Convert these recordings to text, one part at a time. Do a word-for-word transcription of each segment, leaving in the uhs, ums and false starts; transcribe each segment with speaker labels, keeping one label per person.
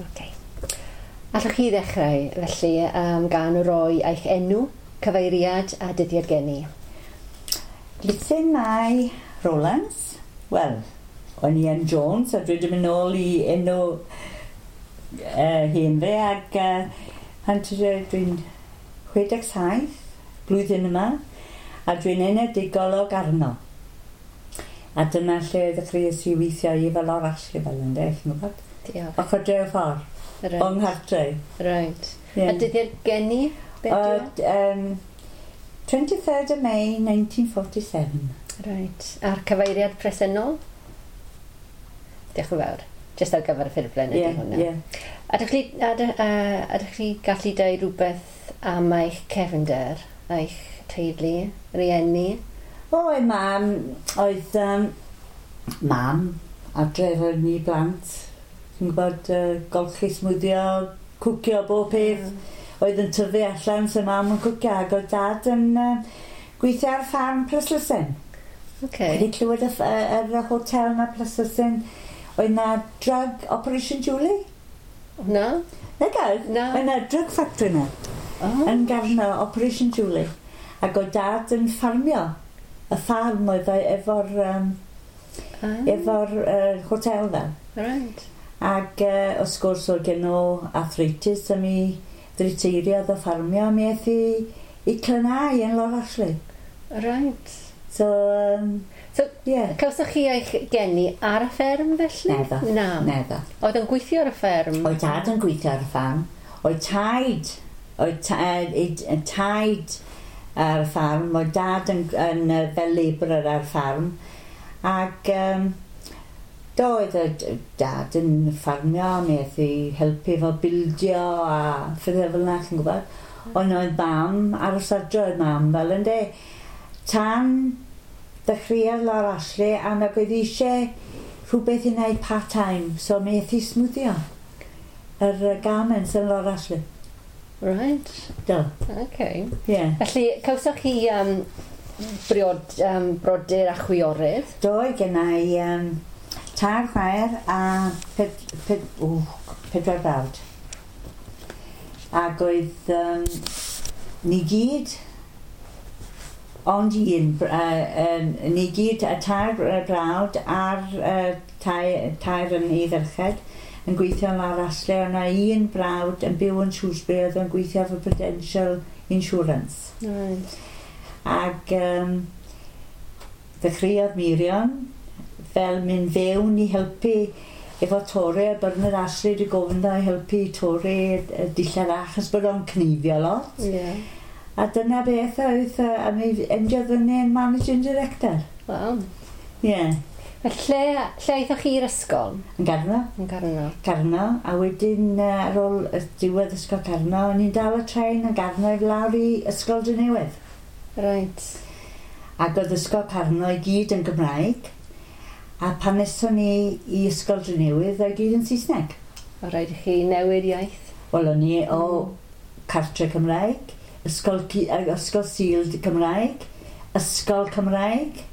Speaker 1: Okay. Allwch chi ddechrau, felly, um, gan roi eich enw, cyfeiriad a dyddiad geni?
Speaker 2: Lithyn Mai Rowlands. Wel, o'n i yn Jones a dwi wedi mynd nôl i enw uh, hen fe ac uh, pan dwi'n chwe deg saith blwyddyn yma a dwi'n enedigol o Garno. A dyna lle ddechreuais i weithio i fel o'r Ashley fel ynde, chi'n gwybod?
Speaker 1: Diolch.
Speaker 2: Ochr dre y ffordd.
Speaker 1: Right.
Speaker 2: O'n nghartre.
Speaker 1: Right.
Speaker 2: Yeah.
Speaker 1: A dyddiad geni? Beth
Speaker 2: uh, um, twenty-third of May nineteen forty-seven.
Speaker 1: Right. A'r cyfeiriad presennol? Diolch yn fawr. Jyst ar gyfer y ffurflen ydy
Speaker 2: yeah,
Speaker 1: hwnna.
Speaker 2: Yeah.
Speaker 1: Ydych chi, ydych chi gallu dweud rhywbeth am eich cefnder, eich teulu, rieni?
Speaker 2: O, oh, mam, oedd um, mam adre efo ni blant. Ti'n gwybod, uh, golchi, smwddio, cwcio, bob peth. Mm. Oedd yn tyfu allan, so mam yn cwcio, ac oedd dad yn uh, gweithio ar ffarm Plaslysen.
Speaker 1: Okay.
Speaker 2: Wedi clywed y, y, y hotel na Plaslysen, oedd na drug Operation Julie?
Speaker 1: Na.
Speaker 2: Na gael?
Speaker 1: Na.
Speaker 2: Oedd na drug factory na.
Speaker 1: Oh.
Speaker 2: Yn Garno, Operation Julie. Ac oedd dad yn ffarmio. Y ffarm oedd efo'r um,
Speaker 1: ah.
Speaker 2: efo'r uh, hotel na.
Speaker 1: Right.
Speaker 2: Ac uh, wrth gwrs oedd gen nhw arthritis a mi ddriteiriodd o ffarmio a mi aeth i, i Clynau yn Lord Ashley.
Speaker 1: Right.
Speaker 2: So, um,
Speaker 1: so
Speaker 2: yeah.
Speaker 1: Cawsoch chi eich geni ar y fferm felly?
Speaker 2: Neddo.
Speaker 1: Na.
Speaker 2: Neddo.
Speaker 1: Oedd yn gweithio ar y fferm?
Speaker 2: Oedd dad yn gweithio ar y ffarm. Oedd taid, oedd ta, taid ar y ffarm, oedd dad yn, yn, yn fel labourer ar y ffarm. Ac um, doedd y dad yn ffarmio, mi aeth i helpu efo bildio a phethau fel yna, chi'n gwybod. Ond oedd mam, aros adre oedd mam fel ynde. Tan ddechreuodd Lord Ashley a nag oedd eisiau rhywbeth i wneud part-time, so mi aeth i smwddio yr garments yn Lord Ashley.
Speaker 1: Right.
Speaker 2: Do.
Speaker 1: Okay.
Speaker 2: Yeah.
Speaker 1: Felly, cawsoch chi um, briod, um, brodyr a chwiorydd?
Speaker 2: Do, gennau um, tair chwaer a ped, ped, ww, pedwar brawd. Ac oedd um, ni gyd, ond un, uh, um, ni gyd y tair brawd a'r uh, tair, tair yn ei ferched yn gweithio yn Lord Ashley. Oedd yna un brawd yn byw yn Shrewsbury oedd yn gweithio for Prudential Insurance.
Speaker 1: Right.
Speaker 2: Ac um, ddechreuodd Mirion fel mynd fewn i helpu efo Torri, a Bernard Ashley wedi gofyn dda i helpu Torri y dillad achos bod o'n cneifio lot.
Speaker 1: Yeah.
Speaker 2: A dyna beth oedd, a mi endiodd fyny yn managing director.
Speaker 1: Wow.
Speaker 2: Yeah.
Speaker 1: Felly, lle, lle aethoch chi i'r ysgol?
Speaker 2: Yn Garno.
Speaker 1: Yn Garno.
Speaker 2: Garno, a wedyn ar ôl y diwedd ysgol Garno, o'n i'n dal y tren yn Garno i lawr i Ysgol Drenewydd.
Speaker 1: Right.
Speaker 2: Ac oedd ysgol Carno i gyd yn Gymraeg. A pan eson ni i Ysgol Drenewydd, oedd gyd yn Saesneg.
Speaker 1: O rhaid i chi newid iaith?
Speaker 2: Wel, o'n i o cartre Cymraeg, ysgol, ysgol Sul Cymraeg, ysgol Cymraeg,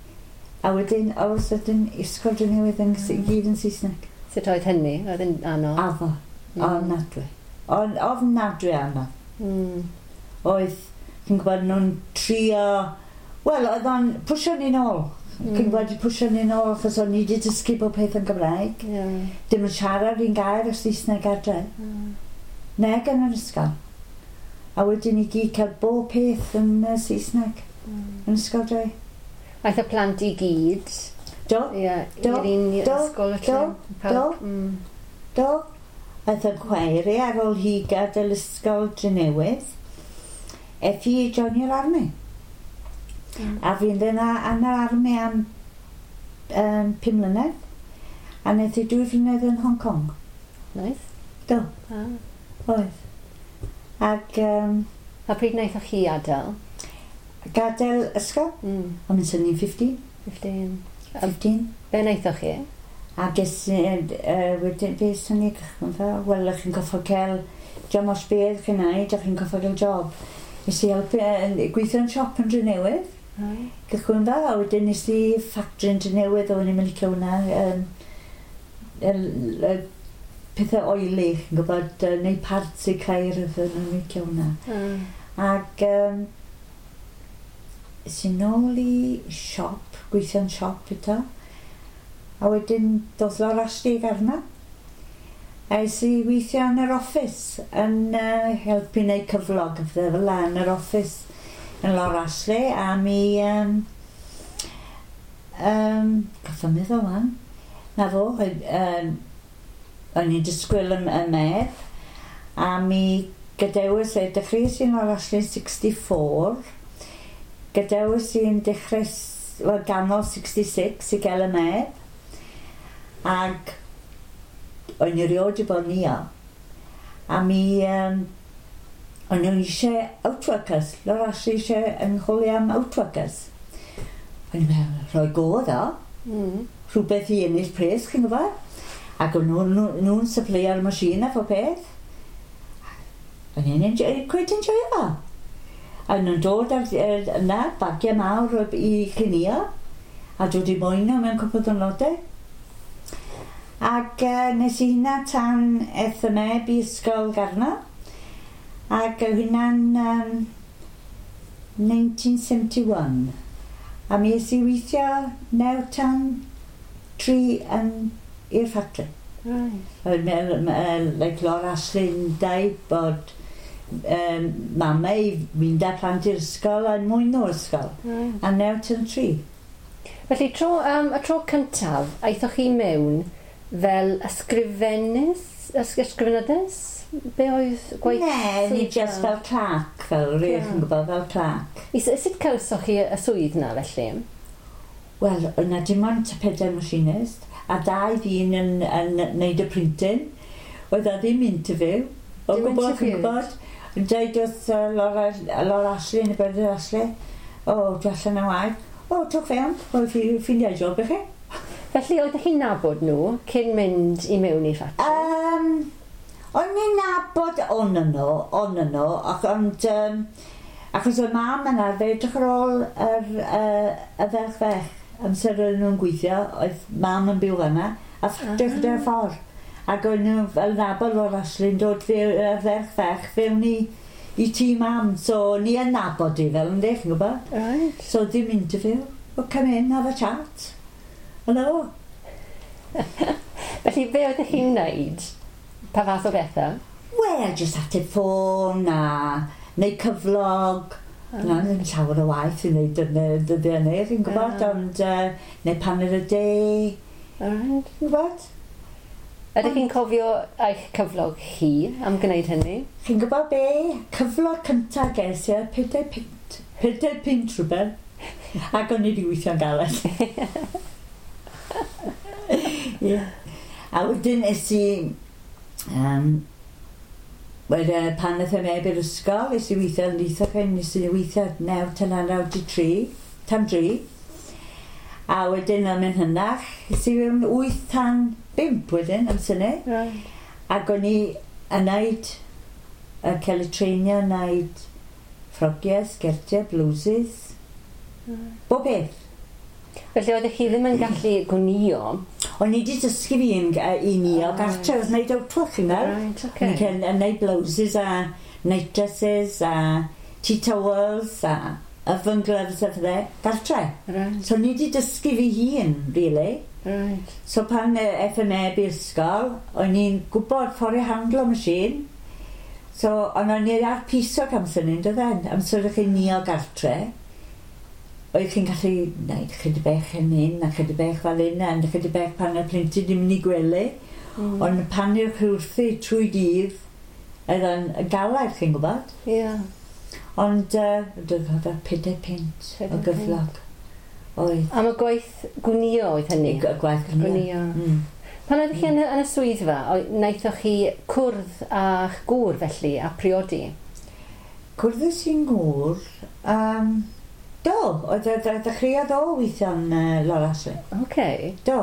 Speaker 2: a wedyn, all of a sudden, Ysgol Drenewydd yn mm. gyd yn Saesneg.
Speaker 1: Sut oedd hynny? Oedd yn anodd?
Speaker 2: Addo.
Speaker 1: Mm.
Speaker 2: Ofnadwy. Ofnadwy anodd.
Speaker 1: Mm.
Speaker 2: Oedd, chi'n gwybod, nhw'n trio... Wel, oedd o'n pwsio ni'n ôl.
Speaker 1: Mm.
Speaker 2: Chi'n gwybod, pwysio ni'n ôl, achos o'n i wedi dysgu bob peth yn Gymraeg.
Speaker 1: Yeah.
Speaker 2: Dim yn siarad un gair o Saesneg adre.
Speaker 1: Mm.
Speaker 2: Neg yn yr ysgol. A wedyn i gyd cael bob peth yn uh, Saesneg.
Speaker 1: Mm.
Speaker 2: Yn ysgol dre.
Speaker 1: Aeth y plant i gyd?
Speaker 2: Do.
Speaker 1: Yeah,
Speaker 2: do.
Speaker 1: I'r un
Speaker 2: do,
Speaker 1: ysgol felly?
Speaker 2: Do, do,
Speaker 1: mm.
Speaker 2: do. Aeth y chwaer i ar ôl hi gadael ysgol Drenewydd. Aeth hi i joinio'r army.
Speaker 1: Mm.
Speaker 2: A fi'n yna yn yr army am um, pum mlynedd. A wnaeth hi dwy flynedd yn Hong Kong.
Speaker 1: Nice.
Speaker 2: Do.
Speaker 1: Ah.
Speaker 2: Oedd. Ac... Um,
Speaker 1: a pryd wnaethoch chi adael?
Speaker 2: Gadael ysgol?
Speaker 1: Mm.
Speaker 2: O'n i'n synnu fifteen.
Speaker 1: Fifteen.
Speaker 2: Fifteen.
Speaker 1: Be wnaethoch chi?
Speaker 2: A ges i, uh, wedyn, be sy'n ni gychwyn fel? Wel, chi'n goffo cael, diolch os beth chi'n neud, chi'n goffo cael job. Nes i helpu, uh, gweithio yn siop yn Drenewydd.
Speaker 1: Right.
Speaker 2: Gychwyn fel, a wedyn nes i factory yn Drenewydd, o'n i'n mynd licio hwnna. Um, y, y, pethau oily, chi'n gwybod, uh, neu parts i ceir oedd nhw'n licio hwnna.
Speaker 1: Mm.
Speaker 2: Ac um, es i nôl i siop, gweithio'n siop eto. A wedyn doedd Laura Ashley arna. A es i weithio yn yr office, yn uh, helpu wneud cyflog, a fel la yn yr office yn Laura Ashley, a mi... Um, um, Goffa meddwl wan. Na fo, um, o'n i'n disgwyl y, y medd, a mi gadewis e, dechreuais i'n Laura Ashley yn sixty-four, gadewis i'n dechrau, wel, ganol sixty-six i gael y medd, ac o'n i erioed wedi bod nio, a mi, um, o'n nhw eisiau outworkers, Laura Ashley eisiau yn chwilio am outworkers. O'n i'n meddwl, rhoi go ddo,
Speaker 1: Mm.
Speaker 2: rhywbeth i ennill pres, chi'n gwybod? Ac o'n nhw'n nhw, nhw'n supplyio'r machine a phob peth. O'n i'n enjoy, quite enjoy fo. A nhw'n dod ar, ar, yna, bagiau mawr o- i clinio, a dod i mwyno mewn cwpl o ddwrnodau. Ac uh, nes i hynna tan eth y meb i ysgol Garno. Ac oedd hynna'n um, nineteen seventy-one. A mi es i weithio naw tan tri yn i'r ffatri.
Speaker 1: Right.
Speaker 2: Oedd me- me- like Laura Ashley'n dweud bod um, mamau i mynd â plant i'r ysgol a mwyn o'r ysgol.
Speaker 1: Right.
Speaker 2: A naw tan tri.
Speaker 1: Felly, tro, um, y tro cyntaf, aethoch chi mewn fel ysgrifennydd, ys- ysgrifenyddes? Be oedd gwaith
Speaker 2: Ne, ni
Speaker 1: swyddfa?
Speaker 2: just fel clerk, fel rwych
Speaker 1: Clerk.
Speaker 2: yn gwybod, fel clerk.
Speaker 1: I, sut cawsoch chi y swydd na felly?
Speaker 2: Wel, yna dim ond pedair machinist, a dau ddyn yn, yn neud y printing. Oedd o ddim interview. O
Speaker 1: Dim
Speaker 2: gwbl, chi'n
Speaker 1: interview?
Speaker 2: gwybod. Yn dweud wrth uh, Laura, Laura Ashley yn y Bernard Ashley, "O, dwi allan o waith." "O, twch fewn, o, fi ffindio job i chi."
Speaker 1: Felly, oeddech chi'n nabod nhw cyn mynd i mewn i ffatri?
Speaker 2: Um, o'n i'n nabod on nhw, on nhw, ac ond, um, achos oedd mam yn arfer edrych ar ôl yr, uh, y ferch fech, amser oedden nhw'n gweithio, oedd mam yn byw fanna, a ffatri ah. gyda'r ffordd. Ac oedd nhw fel nabod Laura Ashley'n dod fe, y ferch fech fewn i, i tŷ mam, so ni yn nabod i fel ynddi, chi'n gwybod?
Speaker 1: Right.
Speaker 2: So dim interview. "Well, come in, have a chat." Hello.
Speaker 1: Felly, be oeddech chi'n wneud? Pa fath o bethau?
Speaker 2: Wel, just ateb ffôn a neu cyflog. Oh. Na, ddim llawer o waith i wneud yn y dyddiau neu, chi'n gwybod,
Speaker 1: Ah.
Speaker 2: ond uh, neu paned y de,
Speaker 1: Right.
Speaker 2: chi'n gwybod?
Speaker 1: Ydych chi'n cofio eich cyflog chi am gwneud hynny?
Speaker 2: Chi'n gwybod be? Cyflog cyntaf ges i oedd pedair punt. Pedair punt rhywbeth. Ac o'n i wedi weithio'n galed. Ie. A wedyn es i... Um, wedyn, pan aeth y meb i'r ysgol, es i weithio yn Leithochen, nes i weithio naw tan naw di tri, tan dri. A wedyn am yn hynach, es i fewn wyth tan bump wedyn, am syni.
Speaker 1: Right.
Speaker 2: Ac o'n i yn neud, y cael y treinio yn neud ffrogiau, sgertiau, blouses, bob peth.
Speaker 1: Felly oeddech chi ddim yn gallu gwnio?
Speaker 2: O'n i wedi dysgu fi yn, i ni o
Speaker 1: Ah,
Speaker 2: gartre, oedd wneud outwork, chi'n gweld?
Speaker 1: Right,
Speaker 2: O'n
Speaker 1: okay.
Speaker 2: i'n yn neud blouses a night dresses a tea towels a oven gloves a fydde, gartre.
Speaker 1: Right,
Speaker 2: So o'n i wedi dysgu fi hun, really.
Speaker 1: right.
Speaker 2: So pan uh, F M A i'r ysgol, o'n i'n gwybod ffordd i handlo machine. So, ond o'n i ar piso amser ni'n dod en. Amser o'ch chi'n nio gartre, oedd chi'n gallu gwneud chydig bech yn hyn a chydig bech fel hyn a chydig bech pan y plentyn ddim yn ei gwely.
Speaker 1: Mm.
Speaker 2: Ond pan yw'ch chi wrthi trwy dydd, oedd o'n galed, chi'n gwybod.
Speaker 1: Yeah.
Speaker 2: Ond uh, dwi'n cofio pedair punt o
Speaker 1: Pedair
Speaker 2: gyflog. Oedd.
Speaker 1: Am y gwaith gwnio oedd hynny?
Speaker 2: Y gwaith gwnio.
Speaker 1: Gwnio.
Speaker 2: Mm.
Speaker 1: Pan oeddech chi yn, y- yn y swyddfa, oedd- wnaethoch chi cwrdd â'ch gŵr felly a priodi?
Speaker 2: Cwrddus i'n gŵr, um, do, oedd oedd oedd ddechreuodd o weithio'n uh, Laura Ashley.
Speaker 1: Okay.
Speaker 2: Do.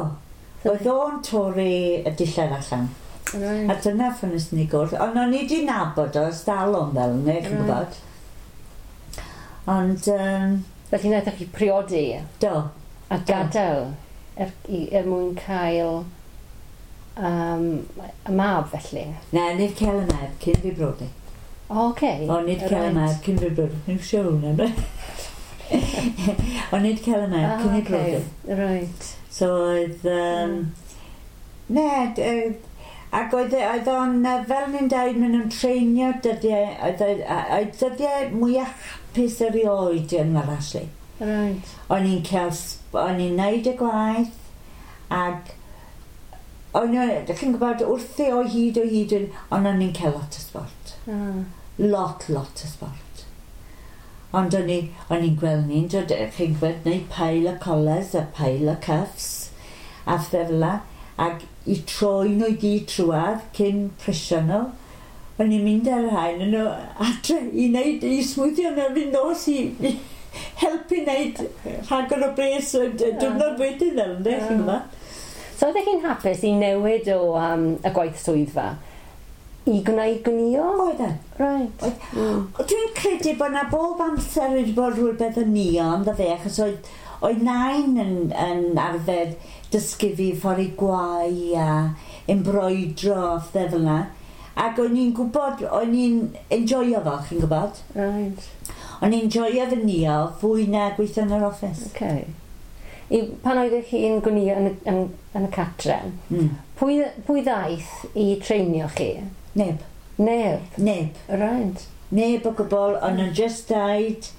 Speaker 2: Oedd o'n torri y dillad allan.
Speaker 1: Right.
Speaker 2: A dyna ffynnes ni gwrdd. Ond o'n i wedi nabod o ers dalwm fel yna, chi'n
Speaker 1: Right.
Speaker 2: gwybod. Ond, um,
Speaker 1: Felly wnaethoch chi priodi
Speaker 2: do.
Speaker 1: a gadael er, i, er mwyn cael um, y mab felly?
Speaker 2: Na, nid cael y mab cyn fi brodi.
Speaker 1: O, okay.
Speaker 2: O, nid cael y mab cyn fi brodi. Ni'n siŵr hwnna. O, nid cael y mab cyn fi brodi.
Speaker 1: Right.
Speaker 2: So oedd... Um, ne, ac oedd, oedd o'n, fel ni'n dweud, maen nhw'n treinio dyddiau, oedd, oedd dyddiau mwyaf hapus erioed yn yr Ashley.
Speaker 1: Right.
Speaker 2: O'n i'n cael, o'n i'n neud y gwaith, ac o'n i'n, chi'n gwybod, wrthi o hyd o hyd, ond o'n i'n cael lot o sport.
Speaker 1: Ah.
Speaker 2: Lot, lot o sport. Ond o'n i'n gweld ni'n dod, chi'n gwybod, neud pile o collars a pile o cuffs, a phethau fel 'na, ac i troi nhw i gyd trwadd cyn presio nhw. O'n i'n mynd ar rhain yn nhw adre i wneud, i smwddio nhw fynd nos i, i helpu wneud rhagor o bres y diwrnod wedyn fel, ynddo, chi'n gwybod?
Speaker 1: So oeddech chi'n hapus i newid o um, y gwaith swyddfa i gwneud gwnïo?
Speaker 2: Oedden.
Speaker 1: Right.
Speaker 2: Oedd. Mm. Dwi'n credu bod na bob amser wedi bod rhywbeth yn nio, ynddo fe, achos oedd, oedd nain yn, yn arfer dysgu fi ffordd i gwau a embroidro a phethau fel yna. Ac o'n i'n gwybod, o'n i'n enjoyo fo, chi'n gwybod?
Speaker 1: Right.
Speaker 2: O'n i'n enjoyo fy nio fwy na gweithio yn yr office.
Speaker 1: Okay. I, pan oeddech chi'n gwnïo yn, yn, yn y catre,
Speaker 2: mm.
Speaker 1: pwy, pwy ddaeth i treinio chi?
Speaker 2: Neb.
Speaker 1: Neb?
Speaker 2: Neb.
Speaker 1: Right.
Speaker 2: Neb o gwbl, o'n nhw'n just dweud,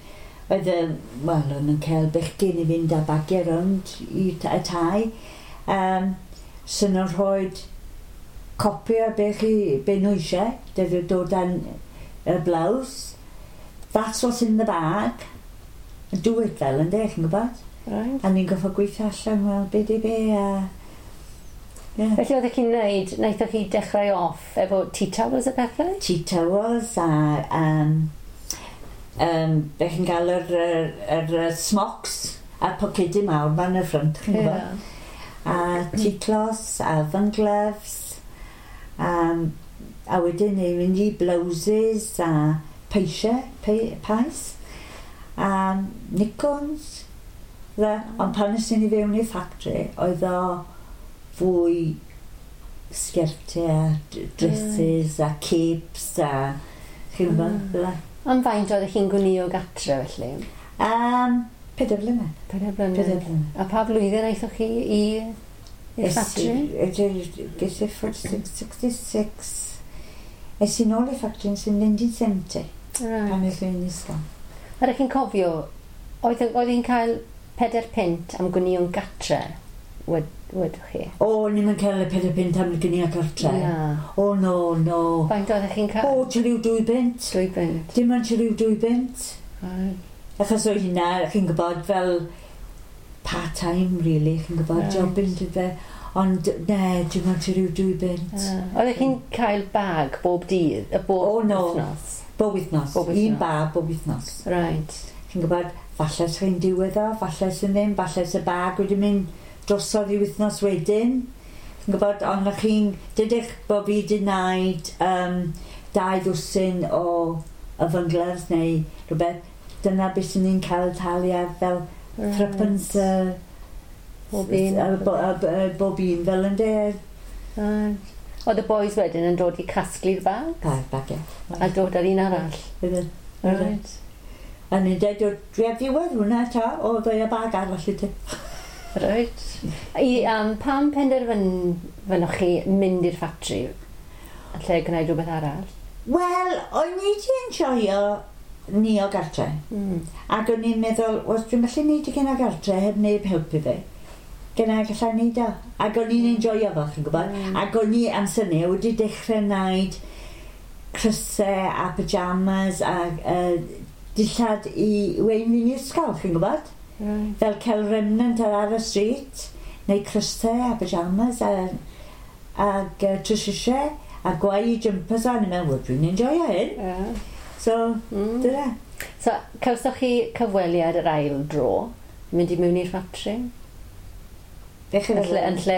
Speaker 2: oedd y, wel, o'n nhw'n cael bechgyn i fynd â bagiau rownd i y tai. Um, so nhw'n rhoi copi o be, chi, be nhw eisiau, dydw dod â'n y blouse. That's what's in the bag. And do it fel, ynddo, chi'n gwybod?
Speaker 1: Right.
Speaker 2: A ni'n goffo gweithio allan, wel, be di be, a... Yeah.
Speaker 1: Felly oeddech chi'n neud, wnaethoch chi dechrau off efo tea towels a pethau?
Speaker 2: Tea towels a... Um, um, be chi'n gael yr, yr, yr, yr smocks a pocedi mawr ma'n y ffrynt, chi'n gwybod?
Speaker 1: Yeah.
Speaker 2: A tea cloths, a oven gloves, um, a wedyn ni'n mynd i blouses a peisiau, pe, pais, a nikons. Dde. Ond pan nes i fewn i'r factory, oedd o fwy sgertiau a dresses a capes a chi'n gwybod, fel 'na.
Speaker 1: Am faint oeddech chi'n gwnïo gatre felly?
Speaker 2: Um, Pedair blynedd.
Speaker 1: Pedair blynedd.
Speaker 2: Pedair blynedd.
Speaker 1: A pa flwyddyn aethoch chi i i'r factory?
Speaker 2: Ges i sixty-six. Es i nôl i'r factory yn nineteen seventy.
Speaker 1: Right.
Speaker 2: Pan es i'n ysgol.
Speaker 1: A ydych chi'n cofio, oedd oedd hi'n cael pedair punt am gwnïo'n gatre, wed, wedwch chi?
Speaker 2: O, ni'n mynd cael y pedair punt am gwnïo gartre.
Speaker 1: Na.
Speaker 2: O, no, no.
Speaker 1: Faint oeddech chi'n cael?
Speaker 2: O, tua ryw dwy bunt.
Speaker 1: Dwy bunt.
Speaker 2: Dim ond tua ryw dwy bunt.
Speaker 1: Right.
Speaker 2: Achos oedd hynna, chi'n gwybod, fel part-time, really, chi'n gwybod,
Speaker 1: Right.
Speaker 2: job yn fe. Ond, ne, dim ond tua ryw dwy bunt.
Speaker 1: Ah. Oeddech chi'n cael bag bob dydd, y bob
Speaker 2: O, no.
Speaker 1: wythnos?
Speaker 2: Bob wythnos.
Speaker 1: Bob wythnos.
Speaker 2: Un bag bob wythnos.
Speaker 1: Right.
Speaker 2: Chi'n gwybod, falle sy'n diwedd o, falle sy'n ddim, falle sy'n bag wedi mynd drosodd i wythnos wedyn. Chi'n gwybod, ond o'ch chi'n, dydych bod fi wedi wneud um, dau ddwsin o oven gloves neu rhywbeth, dyna beth sy'n ni'n cael talu fel
Speaker 1: Right.
Speaker 2: threepence uh,
Speaker 1: Bob un.
Speaker 2: uh, bo, uh, uh, bob un fel yn de.
Speaker 1: Right. Oedd y boys wedyn yn dod i casglu'r bag?
Speaker 2: Bag, bag, ie.
Speaker 1: A dod ar un arall?
Speaker 2: Oedden. Oedden.
Speaker 1: Right.
Speaker 2: A ni'n dweud, dwi ar ddiwedd hwnna ta, o, ddoi y bag arall i ti.
Speaker 1: Right. I, um, pam penderfynoch chi mynd i'r ffatri yn lle gwneud rhywbeth arall?
Speaker 2: Wel, o'n i wedi enjoyo ni o gartre.
Speaker 1: Mm.
Speaker 2: Ac o'n i'n meddwl, wel, dwi'n gallu neud i gyna gartre heb neb helpu fi. Gyna gallai neud o. Ac o'n i'n enjoyo fo, chi'n gwybod.
Speaker 1: Mm.
Speaker 2: Ac o'n i amser ni wedi dechrau wneud crysau a pyjamas a uh, dillad i wein i'n ysgol, chi'n gwybod?
Speaker 1: Right.
Speaker 2: Fel cael remnant ar ar y street, neu crysau a pyjamas a, ag uh, trwsisiau a gwau i jumpers a o'n i'n meddwl, wel, dwi'n enjoyo hyn.
Speaker 1: Yeah.
Speaker 2: So,
Speaker 1: Mm.
Speaker 2: dyna.
Speaker 1: So, cawsoch chi cyfweliad yr ail dro, mynd i mewn i'r ffatri?
Speaker 2: Be chi'n
Speaker 1: Yn lle, yn lle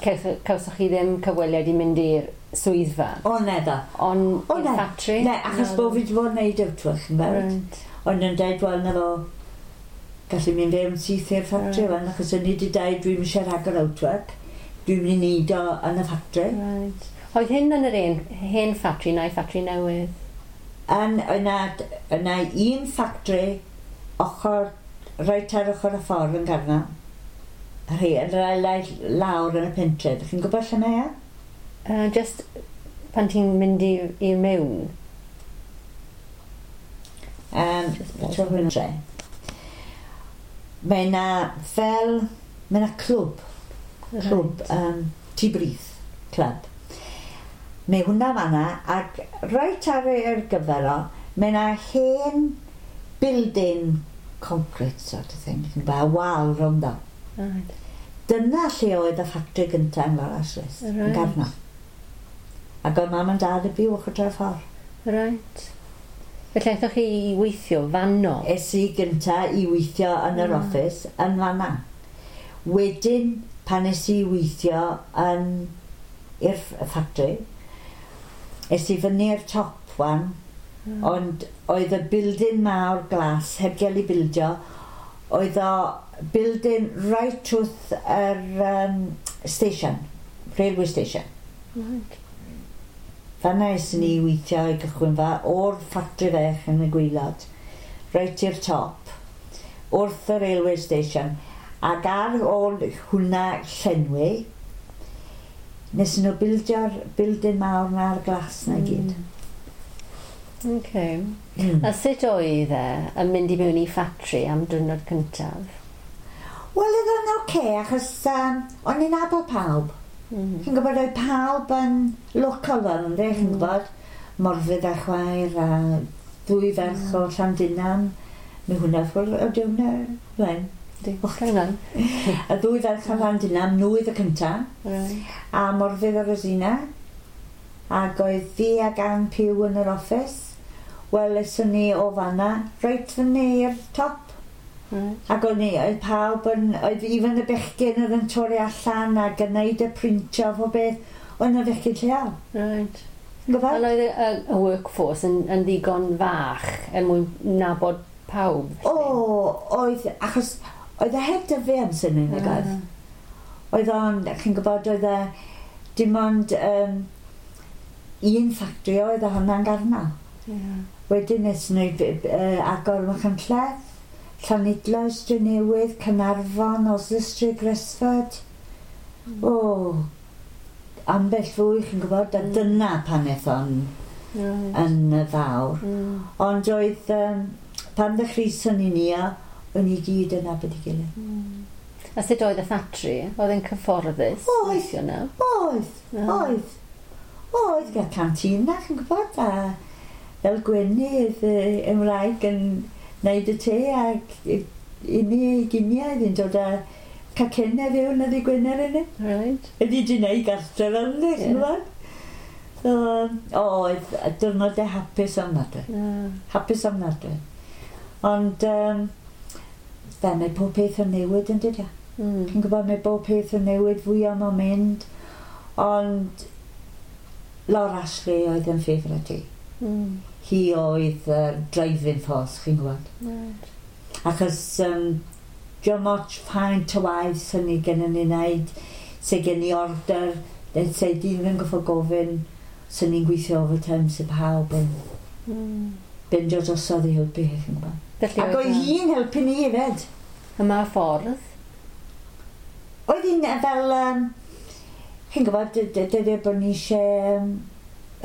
Speaker 1: cawsoch, cawsoch chi ddim cyfweliad i mynd i'r swyddfa,
Speaker 2: O, ne ddo.
Speaker 1: ond
Speaker 2: O,
Speaker 1: i'r
Speaker 2: ne.
Speaker 1: ffatri?
Speaker 2: Ne, achos bod fi wedi bod yn neud outwork, yn gweld.
Speaker 1: Right.
Speaker 2: Ond yn dweud, wel, na fo, gallu mynd fewn syth i'r ffatri,
Speaker 1: Right.
Speaker 2: wan, achos o'n i wedi dweud, dwi'n eisiau rhagor outwork. Dwi'n mynd i neud o yn y ffatri.
Speaker 1: Right. Oedd hyn yn yr un, hen ffatri neu ffatri newydd?
Speaker 2: Yn, yna, yna un ffatri ochr, reit ar ochr y ffordd yn Garnau. Yr hen, yr lawr yn y pentre. Dych chi'n gwybod lle mae e?
Speaker 1: Uh, just pan ti'n mynd i, i mewn?
Speaker 2: Um, pentre. Mae yna fel, mae yna clwb, clwb, right. um, Tŷ Brith, clwb. Mae hwnna fanna, ac reit ar yr gyfer o, mae yna hen building concrete sort of thing, chi'n gwybod, wal rownd o.
Speaker 1: Right.
Speaker 2: Dyna lle oedd y ffatri gyntaf yn Laura Ashley's,
Speaker 1: right.
Speaker 2: yn Garno. Ac oedd mam yn dad yn byw ochr dra'r ffordd.
Speaker 1: Right. Felly aethoch chi i weithio fanno?
Speaker 2: Es i gynta i weithio yn yr
Speaker 1: mm.
Speaker 2: office yn fanna. Wedyn, pan es i weithio yn i'r ffatri, es i fyny i'r top one,
Speaker 1: mm.
Speaker 2: ond oedd y building mawr glas heb gael ei bildio, oedd o building right wrth yr um, station, railway station.
Speaker 1: Right.
Speaker 2: Fanna es ni weithio i gychwyn fa o'r ffatri fech yn y gwaelod, reit i'r top, wrth y railway station, ac ar ôl hwnna llenwi, nes nhw bildio'r building mawr na'r glas na i gyd.
Speaker 1: Mm. Okay.
Speaker 2: Mm.
Speaker 1: A sut oedd e yn mynd i mewn i ffatri am diwrnod cyntaf?
Speaker 2: Wel, oedd o'n oce, okay, achos um, o'n i'n nabod pawb.
Speaker 1: Mm.
Speaker 2: Chi'n gwybod, oedd pawb yn local fel ynddi, chi'n
Speaker 1: Mm.
Speaker 2: gwybod? Morfydd a chwaer a ddwy ferch
Speaker 1: Mm.
Speaker 2: o Llandinam. Mae hwnna ffwrdd, o di hwnna, wen.
Speaker 1: Di, carry ymlaen.
Speaker 2: Y ddwy ferch o Llandinam, nhw oedd y cynta,
Speaker 1: Right.
Speaker 2: a Morfydd a Rosina. Ac oedd fi ac Ann Pugh yn yr office. Wel, eswn ni o fanna, reit fyny i'r top.
Speaker 1: Right.
Speaker 2: Ac o'n i, oedd pawb yn, oedd even y bechgyn oedd yn torri allan ac yn neud y printio o beth, oedd yna fechgyn lleol.
Speaker 1: Right.
Speaker 2: Ti'n gwybod?
Speaker 1: Ond oedd y, y, y workforce yn, yn ddigon fach er mwyn nabod pawb?
Speaker 2: O, oedd, achos oedd e heb dyfu amser ni, nag oedd? Oedd o'n, chi'n gwybod, oedd e dim ond um, un ffactri oedd a hwnna'n Garno.
Speaker 1: Yeah.
Speaker 2: Wedyn nes nhw uh, agor Machynlleth, Llanidloes, Drenewydd, Caernarfon, Oswestry, Gresford.
Speaker 1: Mm.
Speaker 2: O, ambell fwy, chi'n gwybod, a
Speaker 1: Mm.
Speaker 2: dyna pan aeth o'n
Speaker 1: Right.
Speaker 2: yn fawr.
Speaker 1: Mm.
Speaker 2: Ond oedd, um, pan ddechreuson ni ni o, o'n i gyd yn nabod ei gilydd.
Speaker 1: Mm. A sut oedd y ffatri? Oedd e'n cyfforddus?
Speaker 2: Oedd.
Speaker 1: Weithio yna?
Speaker 2: Oedd,
Speaker 1: Ah.
Speaker 2: oedd. Oedd, gael canteen na, chi'n gwybod, a fel Gwenny, oedd yy, Ymraeg yn neud y te ac i i ni i giniau, oedd hi'n dod â cacennau fewn oedd i Gwener yn e.
Speaker 1: Right.
Speaker 2: Ydy di wneud gartre fel yna, chi'n
Speaker 1: Ie.
Speaker 2: gwybod? So, o, oedd diwrnodau hapus ofnadwy.
Speaker 1: Yeah.
Speaker 2: Hapus ofnadwy. Ond, um, fe, mae pob peth yn newid yn dydi?
Speaker 1: Mm.
Speaker 2: Chi'n gwybod, mae bob peth yn newid fwy am o'n mynd. Ond Laura Ashley oedd yn favourite i.
Speaker 1: Mm.
Speaker 2: Hi oedd uh, driving force, chi'n gwybod.
Speaker 1: Right.
Speaker 2: Achos um, diolch moch faint o waith sy'n ni gen ni wneud, sy gen i order, neu se di yn goffo gofyn, sy'n ni'n gweithio overtime, sy'n pawb yn
Speaker 1: Mm.
Speaker 2: bendio drosodd i helpu hi, chi'n gwybod.
Speaker 1: Felly
Speaker 2: Ac oedd hi'n helpu ni hefyd.
Speaker 1: Y ma ffordd?
Speaker 2: Oedd hi'n yy, fel, um, chi'n gwybod, dydy bod ni eisiau um,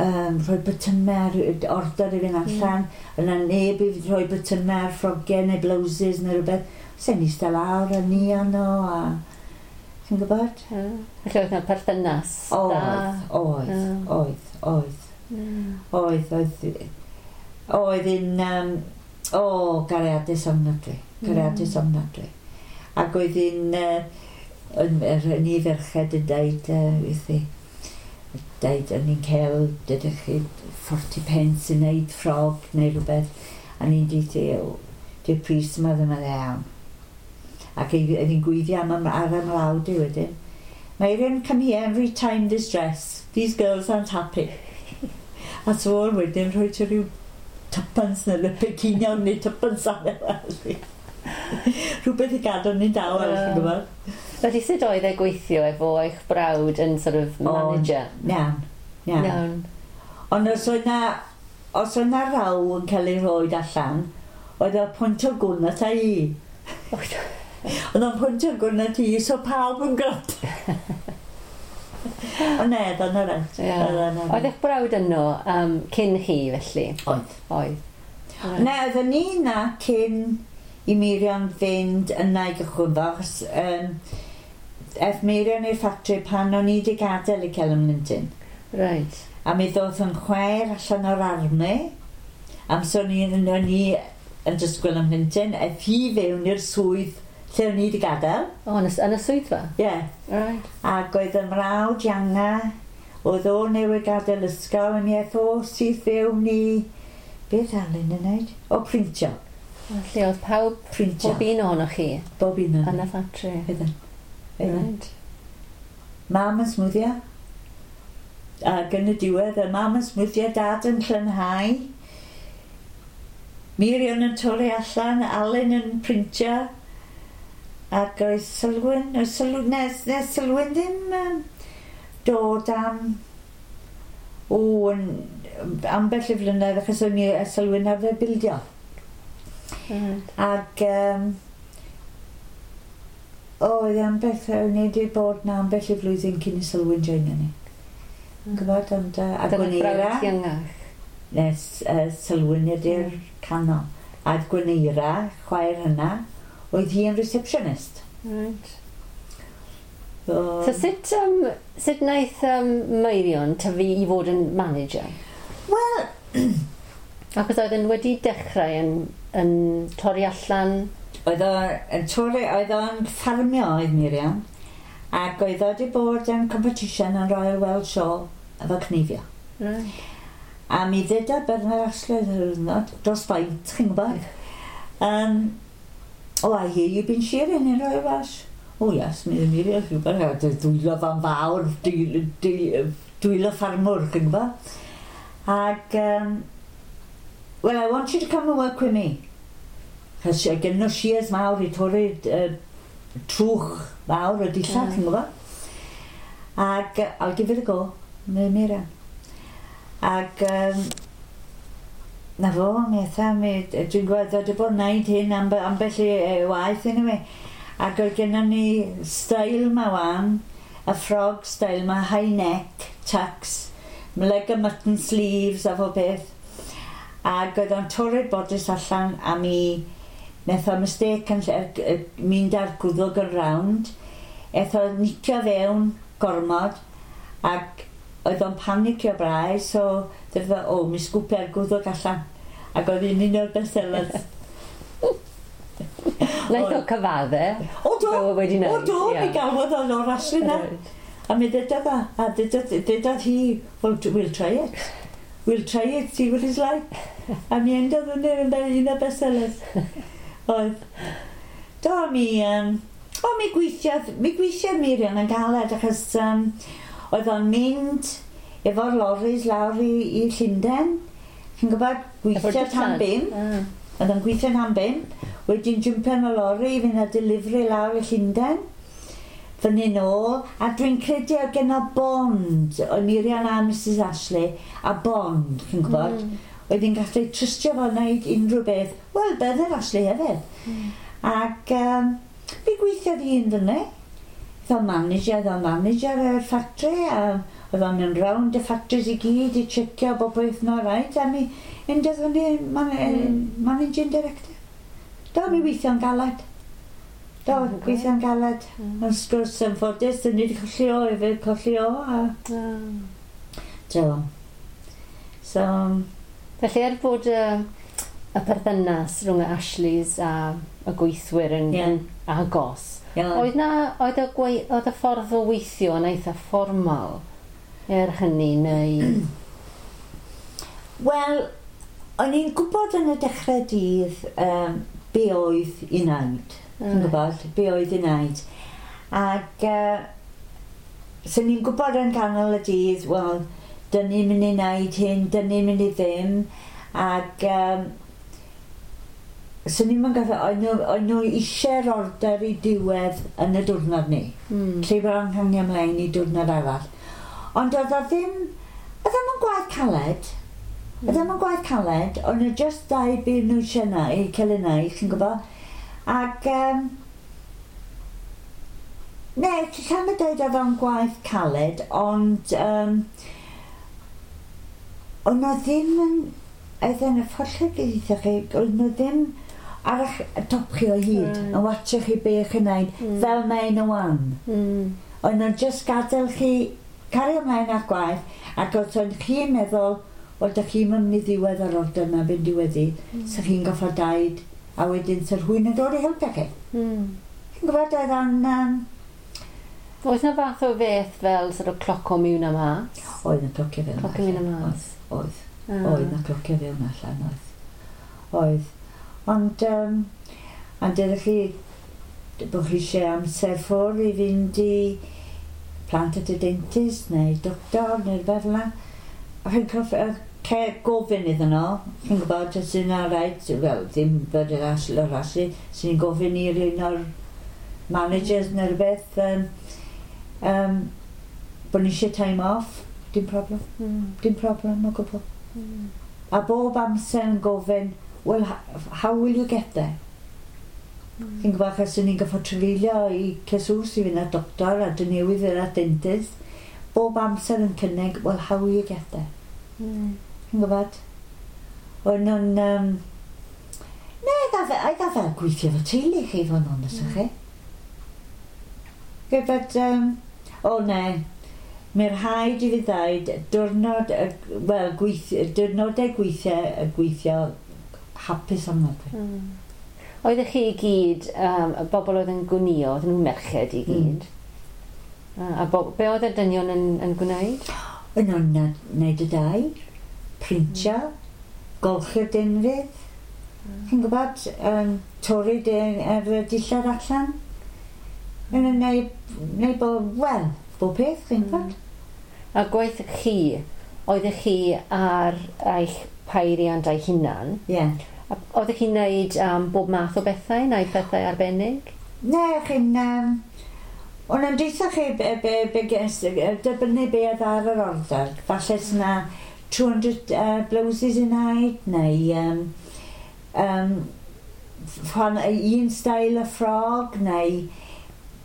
Speaker 2: um, rhoi botymau ar order i fynd allan, mm. yna neb i rhoi botymau ar ffrogiau neu blouses neu rhywbeth. Se'n eistedd lawr a ni arno a... Chi'n gwybod?
Speaker 1: Yeah. Felly oedd yna perthynas da?
Speaker 2: Oedd, oedd,
Speaker 1: Ie.
Speaker 2: oedd, oedd,
Speaker 1: Mm.
Speaker 2: oedd, oedd. Oedd hi'n, um, o, gariadus ofnadwy, gariadus
Speaker 1: Mm.
Speaker 2: ofnadwy. Ac oedd hi'n, uh, yn, yr, ni ferched yn deud, uh, wrthi, deud, o'n i'n cael, dydych chi, forty pence i wneud ffrog neu rhywbeth, a ni'n deud, "O, di'r pris yma ddim yn iawn. Ac oedd hi'n gweiddi am, am ar y mrawd i wedyn. Marion, come here and retime this dress. These girls aren't happy. A so o'n wedyn rhoi ti rhyw tuppence neu rhywbeth ceiniog neu tuppence ar e. Rhywbeth i gadw ni'n dawel,
Speaker 1: Ie.
Speaker 2: chi'n gwybod.
Speaker 1: Felly sut oedd e gweithio efo eich brawd yn sort of manager?
Speaker 2: O, iawn, iawn.
Speaker 1: Iawn.
Speaker 2: Ond os oedd na, os oedd na raw yn cael ei rhoi allan, oedd o'n pwyntio gwn ata i. Oedd o'n pwyntio gwn at i, so pawb yn gwrando. Ond ne, oedd o'n reit.
Speaker 1: Yeah. Oedd eich brawd yno um, cyn chi, felly?
Speaker 2: Oedd.
Speaker 1: Oedd.
Speaker 2: Ne, oedden ni na cyn i Miriam fynd yna i gychwyn fo, achos um, eth Miriam i'r ffatri pan o'n i wedi gadael i Kelham Linton.
Speaker 1: Right.
Speaker 2: A mi ddoth yn chwaer allan o'r army, am so o'n i, o'n i yn disgwyl am Linton, eth hi fewn i'r swydd lle o'n i wedi gadael.
Speaker 1: O, yn y, yn y swyddfa?
Speaker 2: Ie. Yeah.
Speaker 1: Right.
Speaker 2: Ac oedd y mrawd ianga, oedd o newydd gadael ysgol, a mi eth o syth fewn i... Beth Alun yn neud? O, printio.
Speaker 1: Felly oedd pawb,
Speaker 2: Printio.
Speaker 1: pob un ohonoch chi
Speaker 2: Bob un
Speaker 1: yn
Speaker 2: o'n.
Speaker 1: y ffatri?
Speaker 2: Oedden. Oedden.
Speaker 1: Right.
Speaker 2: Mam yn smwddio. Ac yn y diwedd, y mam yn smwddio, dad yn llynhau. Miriam yn torri allan, Alun yn printio. Ac oedd Sylwyn, oedd Sylwyn, nes, nes Sylwyn ddim um, dod am, o, yn, ambell i flynedd, achos o'n i Sylwyn arfer bildio.
Speaker 1: Right.
Speaker 2: Ac um, oedd ambell, o'n i wedi bod na ambell i flwyddyn cyn i Sylwyn joinio ni. Yn gwybod, ond uh, a
Speaker 1: Dyna'r
Speaker 2: Gwyneira,
Speaker 1: brawd iengach.
Speaker 2: nes uh, Sylwyn ydy'r canol. A Gwyneira, chwaer hynna, oedd hi yn receptionist.
Speaker 1: Right.
Speaker 2: So,
Speaker 1: So sut, um, sut wnaeth um, Meirion tyfu i fod yn manager?
Speaker 2: Wel,
Speaker 1: Achos oedd yn wedi dechrau yn, yn torri allan.
Speaker 2: oedd o'n torri, oedd o'n ffarmio oedd Miriam, ac oedd o wedi bod yn competition yn Royal Welsh Show efo cneifio.
Speaker 1: Right.
Speaker 2: A mi ddeudodd Bernard Ashley yr diwrnod, dros faint, chi'n gwybod? Um, oh, I hear you've been shearing in Royal Welsh. Oh yes, mi Miriam, chi'n gwybod, dwylo fan fawr, dwylo ffarmwr, chi'n gwybod? Ac, um, well, I want you to come and work with me. Chos gen nhw shears mawr i torri uh, trwch fawr o dillad, mm. chi'n gwybod? Ac, uh, I'll give it a go, mi Miriam. Ac, um, na fo, mi eitha, mi, dwi'n gwybod, oedd wedi bod yn neud hyn amb, ambell i e, waith anyway. Ac oedd gennym ni style ma wan, y frog style ma, high neck, tux, leg and mutton sleeves a fo beth. Ac oedd o'n torri'r bodice allan a mi wnaeth o mistake yn lle, mynd ar gwddwg yn round. Eth o nicio fewn gormod ac oedd o'n panicio brau, so dweud o, mi sgwpio'r gwddwg allan. Ac oedd un un o'r bestsellers.
Speaker 1: Wnaeth o cyfadde.
Speaker 2: O do,
Speaker 1: Fel wedi
Speaker 2: o
Speaker 1: wneud.
Speaker 2: do,
Speaker 1: ie.
Speaker 2: mi galwodd o'n o'r Ashley na.
Speaker 1: Right.
Speaker 2: A mi ddedodd o, a ddedodd, ddedodd hi, well, we'll try it. We'll try it, see what it's like. A mi endodd yn un un o'r bestsellers. Oedd. Do, mi, um, o, mi gweithiodd, mi gweithiodd Miriam yn galed achos um, oedd o'n mynd efo'r lorries lawr i, i Llundain. Chi'n gwybod,
Speaker 1: Efo'r
Speaker 2: gweithio tan
Speaker 1: dillad.
Speaker 2: bump.
Speaker 1: Ah.
Speaker 2: Oedd o'n gweithio tan bump, wedyn jumpio yn y lorry i fynd â delivery lawr i Llundain. Fyny nôl, a dwi'n credu oedd gen o bond, oedd Miriam a Mrs Ashley, a bond, chi'n gwybod? Mm. Oedd hi'n gallu trystio fo wneud unrhyw beth. Wel, Bernard Ashley hefyd. Mm. Ac um, mi gweithiodd hi yn fyny. Oedd o'n manager, oedd o'n manager yr factory, a oedd o'n mynd round y factories i gyd i checio bob beth yn alright, a mi endodd fyny man, mm. managing director. Do, mi weithio'n galed. Do,
Speaker 1: Mm,
Speaker 2: gweithio'n galed.
Speaker 1: Mm.
Speaker 2: Ond sgwrs yn ffodus, dyn ni wedi colli o hefyd, colli o, a...
Speaker 1: Ah.
Speaker 2: Do. So,
Speaker 1: Felly er bod y, y perthynas rhwng y Ashleys a y gweithwyr yn,
Speaker 2: Ie.
Speaker 1: yn agos,
Speaker 2: ie.
Speaker 1: oedd na, oedd y, gwei, oedd y ffordd o weithio yn eitha fformal er hynny neu...
Speaker 2: Wel, o'n i'n gwybod yn y dechrau dydd um, be oedd i wneud. Ti'n gwybod, be oedd i wneud. Ac uh, so ni'n gwybod yn ganol y dydd, wel, dyn ni'n mynd i wneud hyn, dyn ni'n mynd i ddim. Ac um, So ni'n mynd gaffe, oedd nhw, oedd nhw eisiau'r order i diwedd yn y diwrnod ni.
Speaker 1: Mm.
Speaker 2: Lle bod o'n hangio ymlaen i diwrnod arall. Ond oedd o ddim, oedd ddim yn gwaith caled. Oedd ddim yn gwaith caled, ond nhw just dau beth nhw eisiau na, i cael ei wneud, chi'n gwybod. Ac, um, ne, lla'n dweud oedd o'n gwaith caled, ond um, ond nhw ddim yn, oedd yn y ffordd lle bydd chi, oedd nhw ddim ar eich top chi o hyd,
Speaker 1: Right.
Speaker 2: yn watcho chi be chi'n neud,
Speaker 1: Mm.
Speaker 2: fel mae nhw wan.
Speaker 1: Mm.
Speaker 2: Oedd nhw'n just gadael chi cario ymlaen â'ch gwaith, ac os oedd chi'n meddwl, wel, dych chi'n mynd i ddiwedd yr order yma fynd diweddu, mm. so chi'n goffo daid, a wedyn sy'r hwyn yn dod i helpu chi.
Speaker 1: Mm.
Speaker 2: Chi'n gwybod, oedd o'n... Um,
Speaker 1: Oes na fath o beth fel sort of cloco mewn a mas?
Speaker 2: Oedd yn clocio fewn
Speaker 1: Clocio mewn a mas.
Speaker 2: Oedd,
Speaker 1: Ah.
Speaker 2: oedd yn clocio fewn allan, oedd. Oedd. Ond, um, ond ydych chi, bod chi eisiau amser ffwrdd i fynd i plant at y dentist neu doctor neu rhywbeth fel 'na. A chi'n coff- yy, ce- gofyn iddyn nhw, chi'n gwybod, os yna rhaid, wel, ddim bod yr asl o'r aslu, sy'n ni'n gofyn i'r un o'r managers neu rhywbeth, um, um, bod ni eisiau time off, dim problem,
Speaker 1: Mm.
Speaker 2: dim problem o gwbl.
Speaker 1: Mm.
Speaker 2: A bob amser yn gofyn, well, how will you get there?
Speaker 1: Mm.
Speaker 2: Chi'n gwybod, achos ni'n goffo trafeilio i Cesws i fynd at doctor a dyn newydd fynd at dentist. Bob amser yn cynnig, well, how will you get there?
Speaker 1: Mm.
Speaker 2: Chi'n gwybod? O'n nhw'n... Um, ne, oedd o fel gweithio fo teulu chi, fod yn onest mm. chi. Gwybod, um, o ne, mae'r rhaid i fi ddweud, diwrnod, y- wel, gweithio, diwrnodau gweithio, y gweithio hapus ofnadwy.
Speaker 1: Mm. Oeddech chi i gyd, um, y bobl oedd yn gwnio, oedden nhw'n merched i gyd? Mm. A bo, be oedd y dynion yn, yn gwneud?
Speaker 2: O'n nhw'n na- neud y dau, printio, mm. golchi'r denfydd. Mm. Chi'n gwybod, um, torri dy- yr dillad allan. Yn nhw'n neud, neud bo, wel, bob peth, chi'n gwybod?
Speaker 1: A gwaith chi, oeddech chi ar eich peiriant eich hunan?
Speaker 2: Ie. Yeah.
Speaker 1: A oeddech chi'n neud um, bob math o bethau, neu pethau arbennig?
Speaker 2: Ne, chi'n... Um, O'n yn deutha chi be, be, be, ges- dibynnu be oedd ar yr order. Falle sy'na two hundred uh, blouses i wneud, neu um, um, rhan, un style o ffrog, neu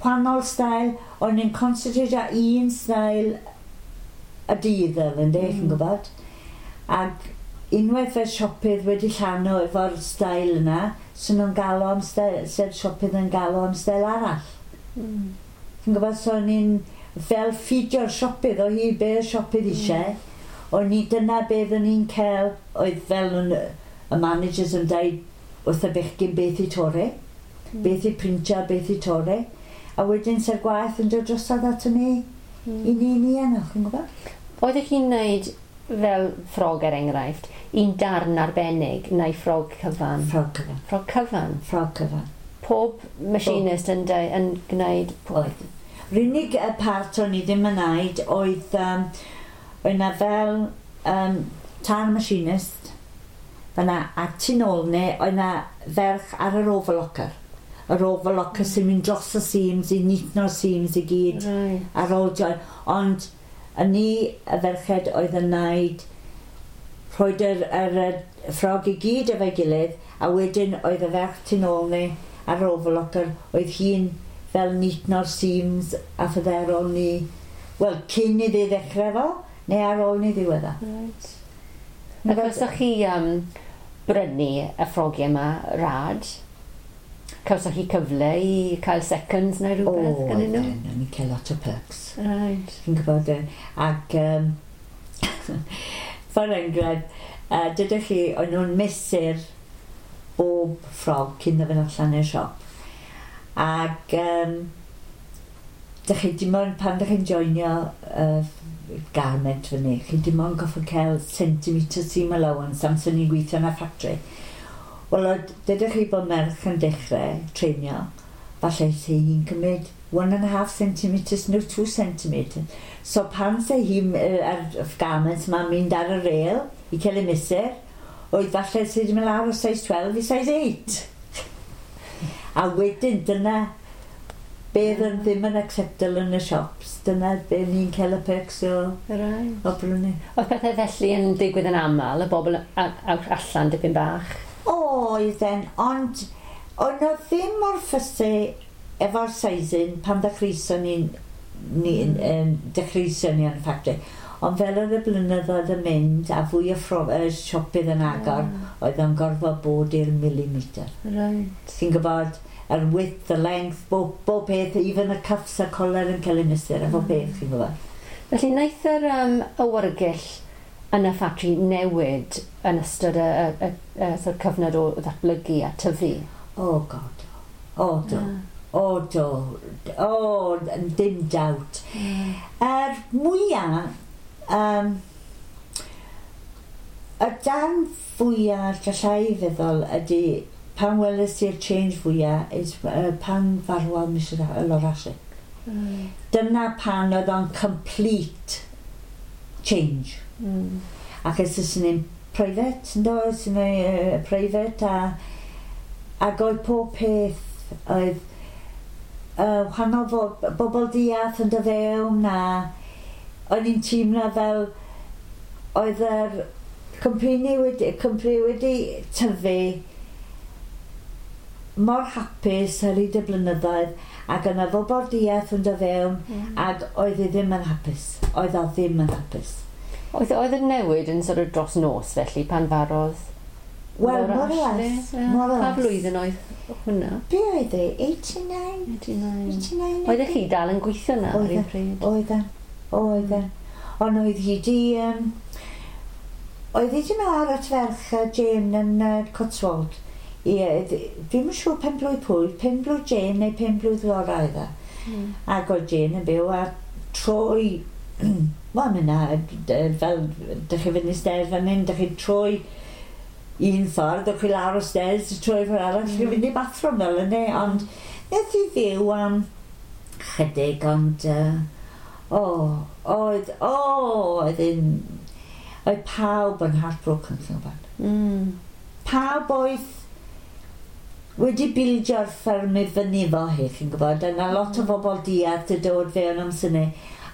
Speaker 2: wahanol style. O'n i'n concentrate ar un style y dydd fel ynddi, mm. chi'n gwybod? Ac unwaith y siopydd wedi llanw efo'r style yna, so nhw'n galw am style, sef siopydd yn galw am style arall.
Speaker 1: Mm.
Speaker 2: Chi'n gwybod, so o'n i'n fel ffidio'r siopydd o hi be y siopydd eisiau. O'n i dyna beth o'n i'n cael, oedd fel yn, y managers yn dweud wrth y bechgyn beth i torri, mm. beth i printio, beth i torri. A wedyn se'r gwaith yn dod drosodd ato ni, mm. i ni ni yno, chi'n gwybod?
Speaker 1: Oeddech chi'n neud fel ffrog er enghraifft, un darn arbennig neu ffrog cyfan?
Speaker 2: Ffrog cyfan.
Speaker 1: Ffrog cyfan?
Speaker 2: Ffrog cyfan.
Speaker 1: Pob machinist yn, deu, yn gwneud...
Speaker 2: Oedd. Yr unig y part o'n i ddim yn neud oedd, um, oedd na fel um, tan machinist, fyna, a tu nôl ni, oedd na ferch ar yr overlocker. Yr overlocker sy'n mynd dros y seams, i neatno'r seams i gyd.
Speaker 1: Right.
Speaker 2: Ar ôl join. Ond y ni, y ferched, oedd yn neud rhoid yr, yr, yr ffrog i gyd efo'i gilydd, a wedyn oedd y ferch tu nôl ni ar yr overlocker, oedd hi'n fel neatno'r seams a phethau ar ôl ni, wel, cyn iddi ddechrau fo, neu ar ôl ni ddiwedda.
Speaker 1: Right. Ac cawsoch chi um, brynu y ffrogiau yma rad? Cawsoch chi cyfle i cael seconds neu rhywbeth
Speaker 2: O,
Speaker 1: gan nhw?
Speaker 2: o'n i'n cael lot o perks.
Speaker 1: Right.
Speaker 2: Chi'n gwybod, e, ac um, for enghraifft, uh, dydych chi, o'n nhw'n mesur bob ffrog cyn iddo fynd allan i'r siop. Ac um, dych chi dim ond, pan dych chi'n joinio uh, garment fyny, chi dim ond goffo cael centimetre seam allowance amser ni'n gweithio yn y factory. Wel, oedd- dydych chi bod merch yn dechrau treinio, falle se hi'n cymryd one and a half centimetres neu two centimetres. So pan se hi'n uh, ar y garment ma'n mynd ar y rail i cael ei mesur, oedd falle se wedi mynd lawr o size twelve i size eight. A wedyn dyna beth yn ddim yn acceptable yn y shops. Dyna be ni'n cael y perks o,
Speaker 1: Right.
Speaker 2: o brynu.
Speaker 1: Oedd pethau felly yn digwydd yn aml, y bobl a- a- allan dipyn bach?
Speaker 2: Oedden, ond o'n nhw ddim mor fussy efo'r sizing pan ddechreuson ni'n ni, mm. dechreuson ni yn y factory. Ond fel oedd y blynyddoedd yn mynd a fwy o ffro, uh, siopydd yn agor, mm. oedd o'n gorfod bod i'r millimeter.
Speaker 1: Right.
Speaker 2: Ti'n gwybod, yr width, the length, bob, bob peth, even y cuffs a collar yn cael ei mesur, efo peth, chi'n gwybod.
Speaker 1: Felly wnaeth yr um, awyrgyll yn y ffatri newid yn ystod y, y, y, y, sort of cyfnod o ddatblygu a tyfu?
Speaker 2: Oh God. O do. O do. O, dim doubt. Yr mwyaf, um, y dan fwyaf gallai feddwl ydy pan weles i'r change fwyaf is uh, pan farwodd Mrs Laura Ashley.
Speaker 1: Mm.
Speaker 2: Dyna pan oedd o'n complete change.
Speaker 1: Mm.
Speaker 2: Ac es ys ni'n private, yndo, es ni'n uh, private a ac oedd pob peth oedd uh, wahanol fo, bobl diarth yn dod fewn a o'n i'n teimlo fel oedd yr cwmni wedi, cwmni wedi tyfu mor hapus ar hyd y blynyddoedd ac yna bobl diarth yn dod fewn
Speaker 1: Mm.
Speaker 2: ac oedd hi ddim yn hapus. Oedd o ddim yn hapus.
Speaker 1: Oedd, oedd y newid yn sort of dros nos felly pan farodd
Speaker 2: Wel,
Speaker 1: Laura
Speaker 2: more or
Speaker 1: Ashley?
Speaker 2: less.
Speaker 1: Ie.
Speaker 2: More or
Speaker 1: Pa
Speaker 2: less.
Speaker 1: flwyddyn oedd hwnna?
Speaker 2: Be oedd e? eighty-nine?
Speaker 1: eighty-nine.
Speaker 2: eighty-nine?
Speaker 1: Oeddech chi dal yn gweithio na ar
Speaker 2: Oedden.
Speaker 1: un pryd?
Speaker 2: Oedden. Oedden. Ond oedd hi di... Um, oedd hi di mynd at ferch uh, Jane yn uh, Cotswold. I, uh, dwi'm yn siŵr pen blwydd pwy, pen blwydd Jane neu pen blwydd Laura oedd e.
Speaker 1: Mm.
Speaker 2: Ac oedd Jane yn byw a troi... Wel, mynd na, fel, dych chi fynd i stairs fan hyn, dych chi troi un ffordd, dych chi lawr o stairs, troi ffordd arall, mm. chi fynd i bathroom fel yna, ond wnaeth hi fyw am chydig, ond uh, o, oedd, o, oedd un, oedd pawb yn heartbroken, chi'n gwybod.
Speaker 1: Mm.
Speaker 2: Pawb oedd wedi bildio'r fferm i fyny fo hi, chi'n gwybod, a na lot o bobl diarth yn dod fewn am syni,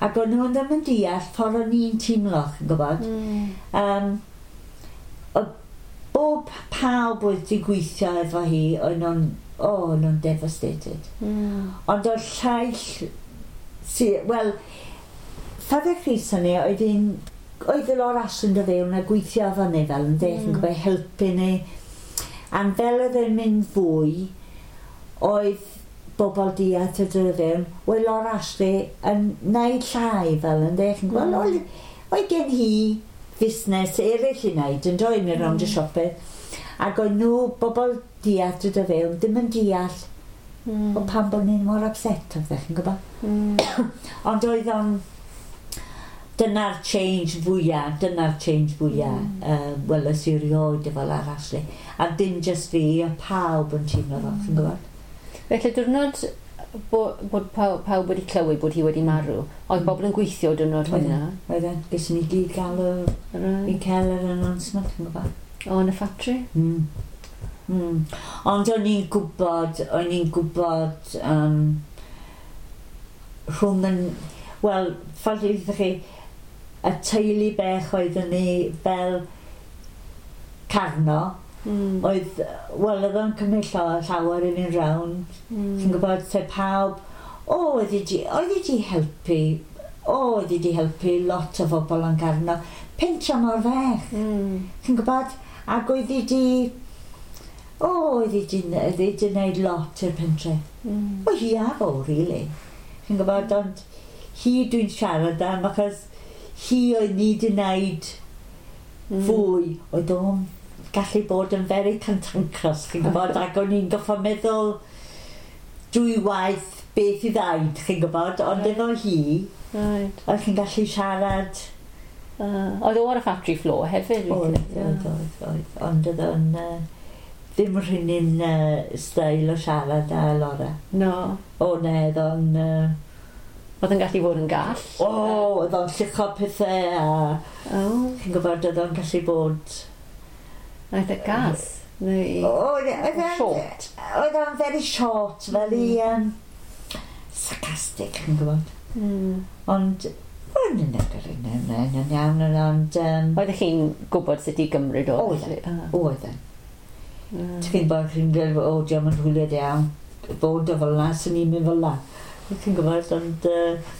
Speaker 2: ac o'n nhw ddim yn deall ffordd o'n i'n teimlo, chi'n gwybod.
Speaker 1: Mm.
Speaker 2: Um, oedd bob pawb oedd wedi gweithio efo hi, o'n nhw'n, o, o'n nhw'n devastated.
Speaker 1: Mm.
Speaker 2: Ond oedd llaill, si, wel, Father Chris ni, oedd un, oedd y Laura Ashley yn dod fewn a gweithio efo ni fel yn dech, yn
Speaker 1: Mm.
Speaker 2: gwybod, helpu ni. A fel oedd e'n mynd fwy, oedd bobl diarth yn dod fewn, oedd Laura Ashley yn neud llai fel yn dech, yn gwybod,
Speaker 1: Mm.
Speaker 2: oedd, oedd gen hi fusnes eraill i wneud yn dod mynd rownd y
Speaker 1: Mm.
Speaker 2: siope. Ac oedd nhw, bobl diarth yn dod fewn, ddim yn deall
Speaker 1: Mm.
Speaker 2: o pam bod ni'n mor upset oedd chi'n gwybod.
Speaker 1: Mm.
Speaker 2: Ond oedd o'n... Dyna'r change fwyaf, dyna'r change fwyaf, mm. uh, weles i rioed efo Laura Ashley. A dim just fi, a pawb yn teimlo fo, chi'n gwybod?
Speaker 1: Felly diwrnod bo, bod pawb, pawb wedi clywed bod hi wedi marw, oedd
Speaker 2: Mm.
Speaker 1: bobl yn gweithio diwrnod hwnna?
Speaker 2: Oedden, gyson ni gyd gael y, i
Speaker 1: Right.
Speaker 2: cael yr announcement, chi'n gwybod?
Speaker 1: O, yn y ffatri?
Speaker 2: Mm. Mm. Ond o'n i'n gwybod, o'n i'n gwybod um, rhwng yn... Wel, ffordd i ddweud chi, y teulu bech oeddwn ni fel Carno,
Speaker 1: Mm.
Speaker 2: oedd, wel, oedd o'n cymryd llawer, llawer i fynd round.
Speaker 1: Mm.
Speaker 2: Ti'n gwybod, te pawb, o, oedd hi di, oedd hi di helpu, o, oedd hi di helpu lot o bobl yn Carno. Pentra mor fech.
Speaker 1: Mm.
Speaker 2: Ti'n gwybod? Ac oedd hi di... O, oedd hi di, oedd hi di wneud lot i'r pentre.
Speaker 1: Mm.
Speaker 2: O, hi a fo, really. Ti'n gwybod, ond hi dwi'n siarad am, achos hi oedd ni di wneud
Speaker 1: Mm.
Speaker 2: fwy. Oedd o'n gallu bod yn very cantankerous, chi'n gwybod, ac o'n i'n goffo meddwl dwy waith beth i ddaud, chi'n gwybod, ond
Speaker 1: Right.
Speaker 2: efo hi,
Speaker 1: Right.
Speaker 2: oedd chi'n gallu siarad.
Speaker 1: Uh, oedd o ar y factory floor hefyd?
Speaker 2: Oedd,
Speaker 1: weithiau,
Speaker 2: oedd, oedd, oedd. Ond oedd o'n uh, ddim rhywun un uh, steil o siarad â Laura.
Speaker 1: No.
Speaker 2: O, ne, oedd o'n... Uh,
Speaker 1: Oedd yn gallu fod yn gall?
Speaker 2: o, oedd o'n llucho pethau a
Speaker 1: Oh,
Speaker 2: chi'n gwybod oedd o'n gallu bod...
Speaker 1: eitha gas. Neu
Speaker 2: Oedd oedd o'n...
Speaker 1: Short?
Speaker 2: Oedd o'n very short, very um, sarcastic, yn gwybod.
Speaker 1: Mm.
Speaker 2: Ond, oedd yn yn yn yn iawn, ond... Um,
Speaker 1: Oeddech chi'n gwybod sut i gymryd o?
Speaker 2: Oedd.
Speaker 1: Felly? Ah.
Speaker 2: Oedd e.
Speaker 1: Mm.
Speaker 2: Ti'n gwybod, chi'n dweud, o, diolch yn hwyliad iawn. Bod o fel la, sy'n ni'n mynd fel la. Ti'n gwybod, ond... Uh,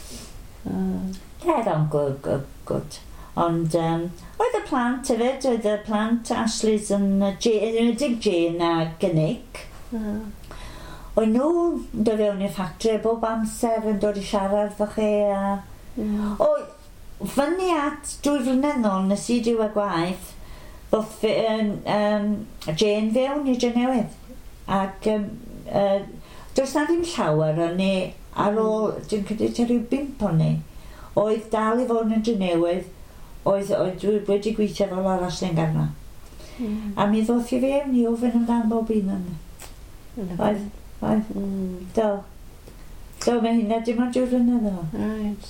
Speaker 1: Ah.
Speaker 2: yeah, o'n good, good, good. Ond um, oedd y plant hefyd, oedd y plant Ashley's yn, uh, Jane, yn enwedig Jane a Nick.
Speaker 1: Ah.
Speaker 2: Oedd nhw'n dod fewn i'r ffactri bob amser yn dod i siarad efo chi. A...
Speaker 1: Mm.
Speaker 2: O, fyny at dwy flynedd nôl nes i diwedd gwaith, ddoth fi, um, um, Jane fewn i Drenewydd. Ac um, uh, does na ddim llawer o'n ni ar ôl, dwi'n credu tua rhyw bump o'n ni, oedd dal i fod yn Drenewydd, oedd, oedd dwi wedi gweithio fel arall yn Garno.
Speaker 1: Mm.
Speaker 2: A mi ddoth i fewn i ofyn amdan bob un o'n.
Speaker 1: Lovely.
Speaker 2: Oedd, oedd,
Speaker 1: Mm.
Speaker 2: do. Do, mae hynna dim ond dwy flynedd yn ôl.
Speaker 1: Right.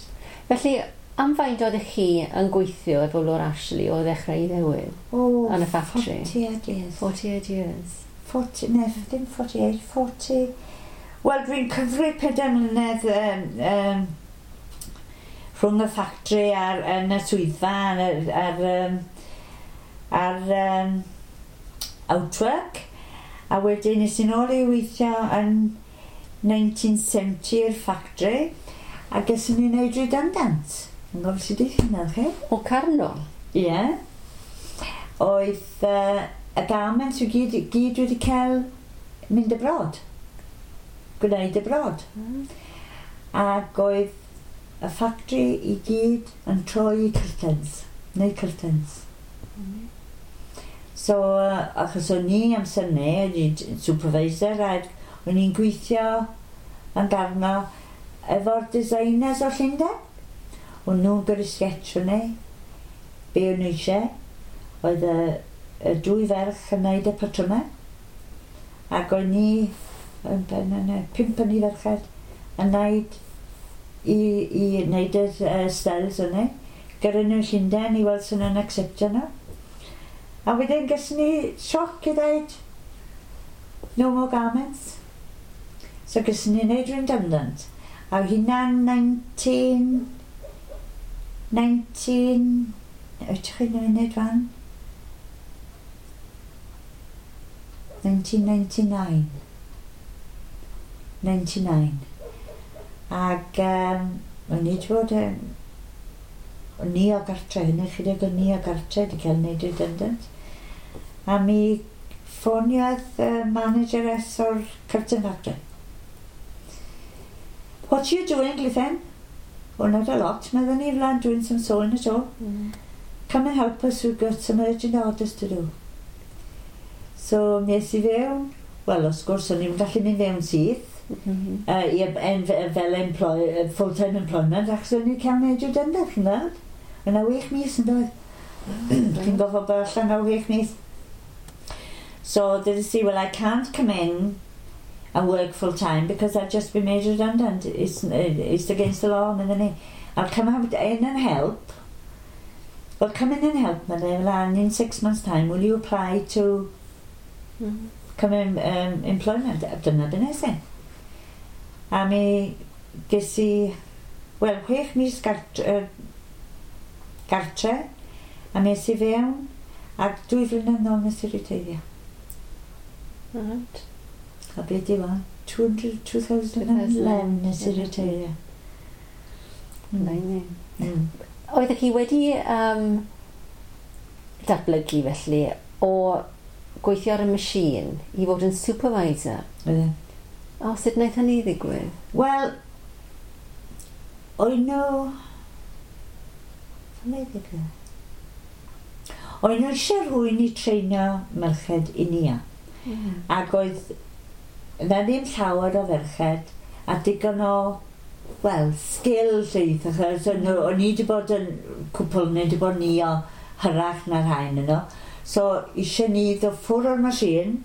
Speaker 1: Felly, am faint oeddech chi yn gweithio efo Laura Ashley o ddechrau i ddiwedd?
Speaker 2: O,
Speaker 1: Yn y factory?
Speaker 2: forty-eight years.
Speaker 1: forty-eight years.
Speaker 2: forty, ne, ddim forty-eight, forty. Wel, dwi'n cyfri pedair mlynedd um, um, rhwng y ffactri a'r yn y swyddfa a'r, ar, um, ar um, outwork. A wedyn nes i nôl i weithio yn nineteen seventy i'r ffactri a ges i ni wneud redundant. Yn gofio sydd eich hynna, chi?
Speaker 1: O Carno?
Speaker 2: Ie. Yeah. Oedd uh, y garments i gyd, gyd wedi cael mynd abroad. Gwneud abroad.
Speaker 1: Mm.
Speaker 2: Ac oedd y ffactri i gyd yn troi i curtains. Neu curtains.
Speaker 1: Mm.
Speaker 2: So, uh, achos o'n i amser 'ny, o'n i supervisor, a o'n i'n gweithio yn Garno efo'r designers o Llundain. O'n nhw'n gyrru sketch o'n ni, be o'n nhw eisiau. Oedd y, y dwy ferch yn neud y patrymau. Ac o'n i, yn ben yna, pump o'n i ferched, yn neud i, i wneud y uh, styles yna. Gyrru nhw Llundain i weld sy'n nhw'n acceptio nhw. A wedyn ges ni sioc i dweud, "No more garments." So ges ni wneud redundant. A hynna'n nineteen... nineteen... Ydych chi'n wneud fan? nineteen ninety-nine. ninety-nine. Ac um, o'n i wedi bod yn... O'n i o gartre, hynny chydig o'n i o gartre wedi cael wneud redundant. A mi ffoniodd uh, manageress o'r curtain factory. "What you doing, Glithen?" "Oh, not a lot," meddwn ni, "I'm doing some sewing at all."
Speaker 1: Mm.
Speaker 2: "Come and help us, we've got some urgent orders to do." So, mi es i fewn. Wel, wrth gwrs, o'n i'n gallu mynd fewn syth.
Speaker 1: Mm -hmm.
Speaker 2: Uh, i, en, fel employ, full-time employment, achos o'n i'n cael wneud redundant, chi'n gweld? Yna wech mis yn dod. Chi'n gorfod bod allan o wech mis. So, did I, "Well, I can't come in and work full time because I've just been made redundant. It's, it's against the law," meddwn ni. "I'll come out in and help." "Well, come in and help," meddai, "well, and in six months' time, will you apply to
Speaker 1: Mm.
Speaker 2: come in um, employment?" A dyna be nes i. A mi ges i, wel, chwech mis gartre, uh, gartre, a mi es i fewn, ac dwy flynedd nôl nes i reteirio.
Speaker 1: Right.
Speaker 2: A beth di wan? two hundred, two thousand eleven nes i reteirio.
Speaker 1: Mm. Mm.
Speaker 2: Mm.
Speaker 1: Oeddech chi wedi um, datblygu felly o gweithio ar y machine i fod yn supervisor?
Speaker 2: Oedd e.
Speaker 1: O, sut wnaeth hynny ddigwydd?
Speaker 2: Wel, oedd nhw... Sut ddigwydd? Oedd nhw eisiau rhywun i treinio merched i nia.
Speaker 1: Mm.
Speaker 2: Ac oedd na ddim llawer o ferched a digon o, wel, skill lleith, achos o'n nhw- o'n i wedi bod yn cwpl neu wedi bod ni o hyrach na'r rhain yno. So eisiau ni ddod ffwrdd o'r machine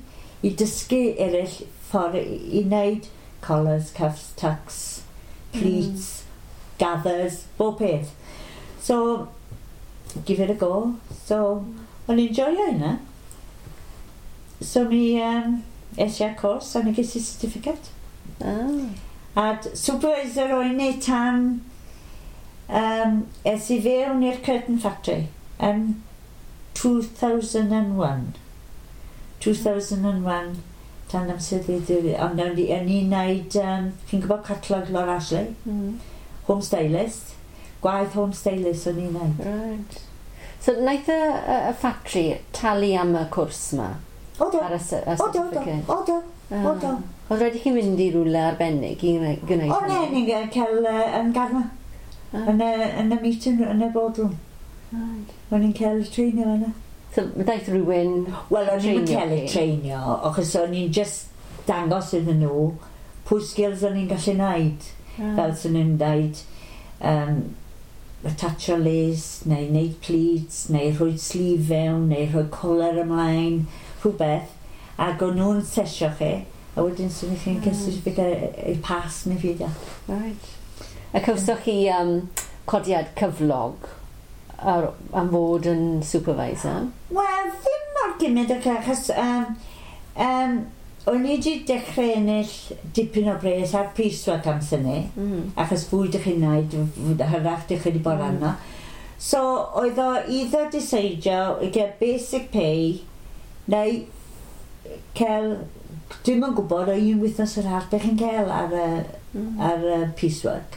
Speaker 2: i dysgu eraill ffordd i, i wneud collars, cuffs, tucks, pleats, mm. gathers, bob peth. So, give it a go. So, o'n i'n joio hynna. so mi um, es i ar cwrs a mi ges i certificate.
Speaker 1: Ah.
Speaker 2: A supervisor o'n i tan um, es i fewn i'r Curtain Factory yn two thousand and one. two thousand and one tan amser ddi, ond o'n i'n neud, um, chi'n gwybod catalog Laura Ashley?
Speaker 1: Mm.
Speaker 2: Home stylist. Gwaith home stylist o'n i'n neud.
Speaker 1: Right. So, wnaeth y, y, y factory talu am y cwrs yma?
Speaker 2: O do.
Speaker 1: Ar y, y
Speaker 2: O do, do.
Speaker 1: certificate?
Speaker 2: O do. O do.
Speaker 1: Oedd rhaid i chi mynd i rhywle arbennig i gwneud?
Speaker 2: O ne, ni'n cael uh, yn Garma.
Speaker 1: Ah.
Speaker 2: Yn y, yn y meeting, yn y boardroom.
Speaker 1: Right.
Speaker 2: O'n i'n cael y treinio yna.
Speaker 1: So, daeth rhywun
Speaker 2: Wel, o'n i'n
Speaker 1: treinio
Speaker 2: cael y
Speaker 1: chi?
Speaker 2: treinio, achos o'n i'n just dangos iddyn nhw pwy skills o'n i'n gallu neud.
Speaker 1: Ah.
Speaker 2: Fel sy'n nhw'n dweud, um, attachio lace, neu neud pleats, neu rhoi sleeve fewn, neu rhoi collar ymlaen, rhywbeth. Ac o'n nhw'n sesio chi, a wedyn sy'n chi'n cael
Speaker 1: Mm.
Speaker 2: certificate i pass neu pheidio.
Speaker 1: Right. A cawsoch chi um, codiad cyflog ar, am fod yn supervisor?
Speaker 2: Wel, ddim mor gymryd ac achos um, um, o'n i wedi dechrau ennill dipyn o bres ar piecework amser ni,
Speaker 1: Mm.
Speaker 2: achos fwy dych chi'n neud, hyrach dych chi wedi bod
Speaker 1: Mm.
Speaker 2: arno. So, oedd o either deceidio i gael basic pay, neu cael, dwi'm yn gwybod o un wythnos yr haf beth chi'n cael ar y,
Speaker 1: Mm.
Speaker 2: ar y piecework.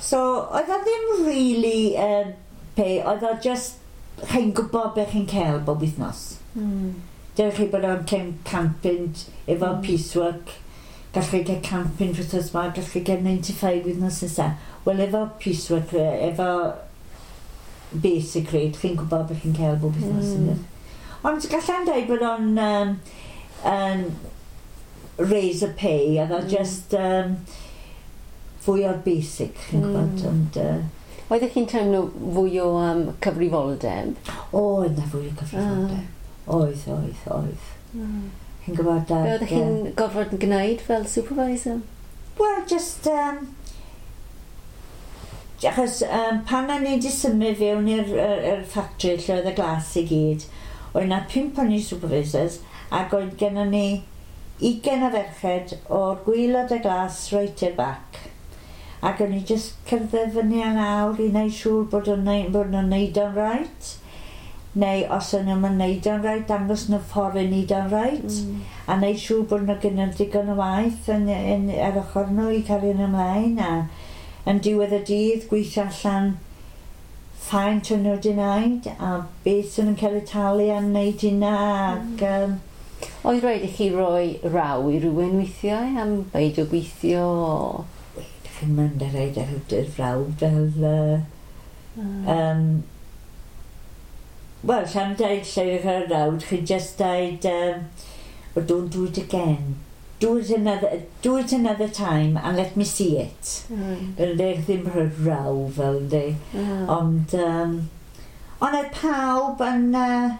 Speaker 2: So, oedd o ddim really um, pay, oedd o just, chi'n gwybod beth chi'n cael bob wythnos.
Speaker 1: Mm.
Speaker 2: Dewch chi bod o'n cael can punt efo
Speaker 1: Mm.
Speaker 2: piecework, gallwch chi gael can punt wythnos yma, gallwch chi gael ninety-five wythnos nesaf. Wel, efo piecework, eh, efo basic rate, chi'n gwybod beth chi'n cael bob wythnos.
Speaker 1: Mm.
Speaker 2: Mm. Ond gallai'n dweud bod o'n um, um, raise a pay, oedd o
Speaker 1: Mm.
Speaker 2: just um, fwy o'r basic, chi'n
Speaker 1: Mm.
Speaker 2: gwybod. Ond, uh,
Speaker 1: Oeddech chi'n teimlo fwy o um, cyfrifoldeb?
Speaker 2: Oedd na fwy o cyfrifoldeb. Oedd, oedd, oedd.
Speaker 1: Mm.
Speaker 2: Chi'n gwybod...
Speaker 1: Be
Speaker 2: ag,
Speaker 1: oeddech
Speaker 2: yy,
Speaker 1: chi'n gorfod gwneud fel supervisor?
Speaker 2: Wel, just... Um, achos um, pan o'n i wedi symud fewn i'r yr, yr factory lle oedd y glas i gyd, oedd na pump o'n i supervisors ac oedd gennym ni ugain o ferched o'r gwaelod y glas right i'r back. Ac o'n i just cerdded fyny a lawr i wneud siŵr bod o'n neud, bod nhw'n neud o'n right. Neu os o'n nhw'n neud o'n right, dangos nhw ffordd i neud o'n right.
Speaker 1: Mm.
Speaker 2: A wneud siŵr bod nhw gyda digon o waith yn, yn, ar ochr nhw i cario nhw ymlaen a yn diwedd y dydd gweithio allan faint o'n nhw wedi wneud a beth sy'n nhw'n cael eu talu am wneud hynna ac um,
Speaker 1: Oedd rhaid i chi roi raw i rhywun weithiau am beidio gweithio? o-
Speaker 2: Chi'n mynd ar reid ar y frawd fel uh,
Speaker 1: Mm.
Speaker 2: um, wel, lla'n dweud lle yw'ch ar rawd, chi'n just dweud um, well, don't do it again. Do it another, do it another time and let me see it.
Speaker 1: Mm.
Speaker 2: Fel de, ddim rhoi raw fel de.
Speaker 1: Mm.
Speaker 2: Ond, um, ond oedd pawb yn... Uh,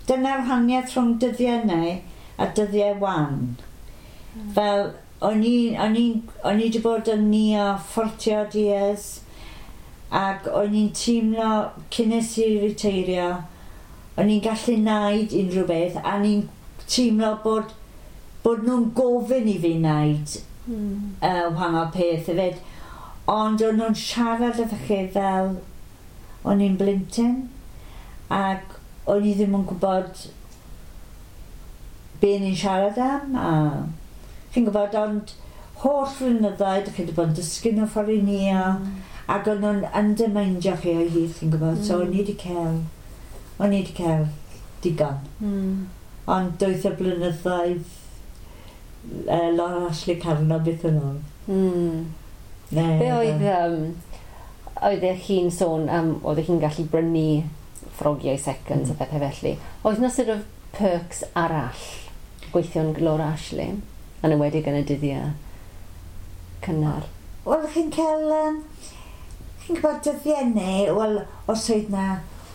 Speaker 2: dyna'r wahaniaeth rhwng dyddiau neu a dyddiau wan. Fel, o'n i, o'n i, o'n i wedi bod yn ni o forty odd years ac o'n i'n teimlo cyn nes i reteirio, o'n i'n gallu wneud unrhyw beth a o'n i'n teimlo bod, bod nhw'n gofyn i fi wneud
Speaker 1: Mm.
Speaker 2: uh, wahanol peth hefyd. Ond o'n nhw'n siarad efo chi fel o'n i'n blentyn ac o'n i ddim yn gwybod be ni'n siarad am a chi'n gwybod, ond holl flynyddoedd chi wedi bod yn dysgu nhw ffordd i ni a ac o'n nhw'n undermindio chi o hyd, chi'n gwybod, so
Speaker 1: Mm.
Speaker 2: o'n i wedi cael o'n i wedi cael digon,
Speaker 1: Mm.
Speaker 2: ond doedd y blynyddoedd uh, Laura Ashley Carno beth yn ôl.
Speaker 1: Mm.
Speaker 2: Ne,
Speaker 1: Be oedd, um, oeddech chi'n sôn am, oeddech chi'n gallu brynu ffrogiau seconds
Speaker 2: Mm.
Speaker 1: a pethau felly. Oedd na sort of perks arall gweithio'n Laura Ashley, yn enwedig yn y dyddiau cynnar?
Speaker 2: Wel, chi'n cael... Um, chi'n gwybod dyddiau neu, wel, os oedd na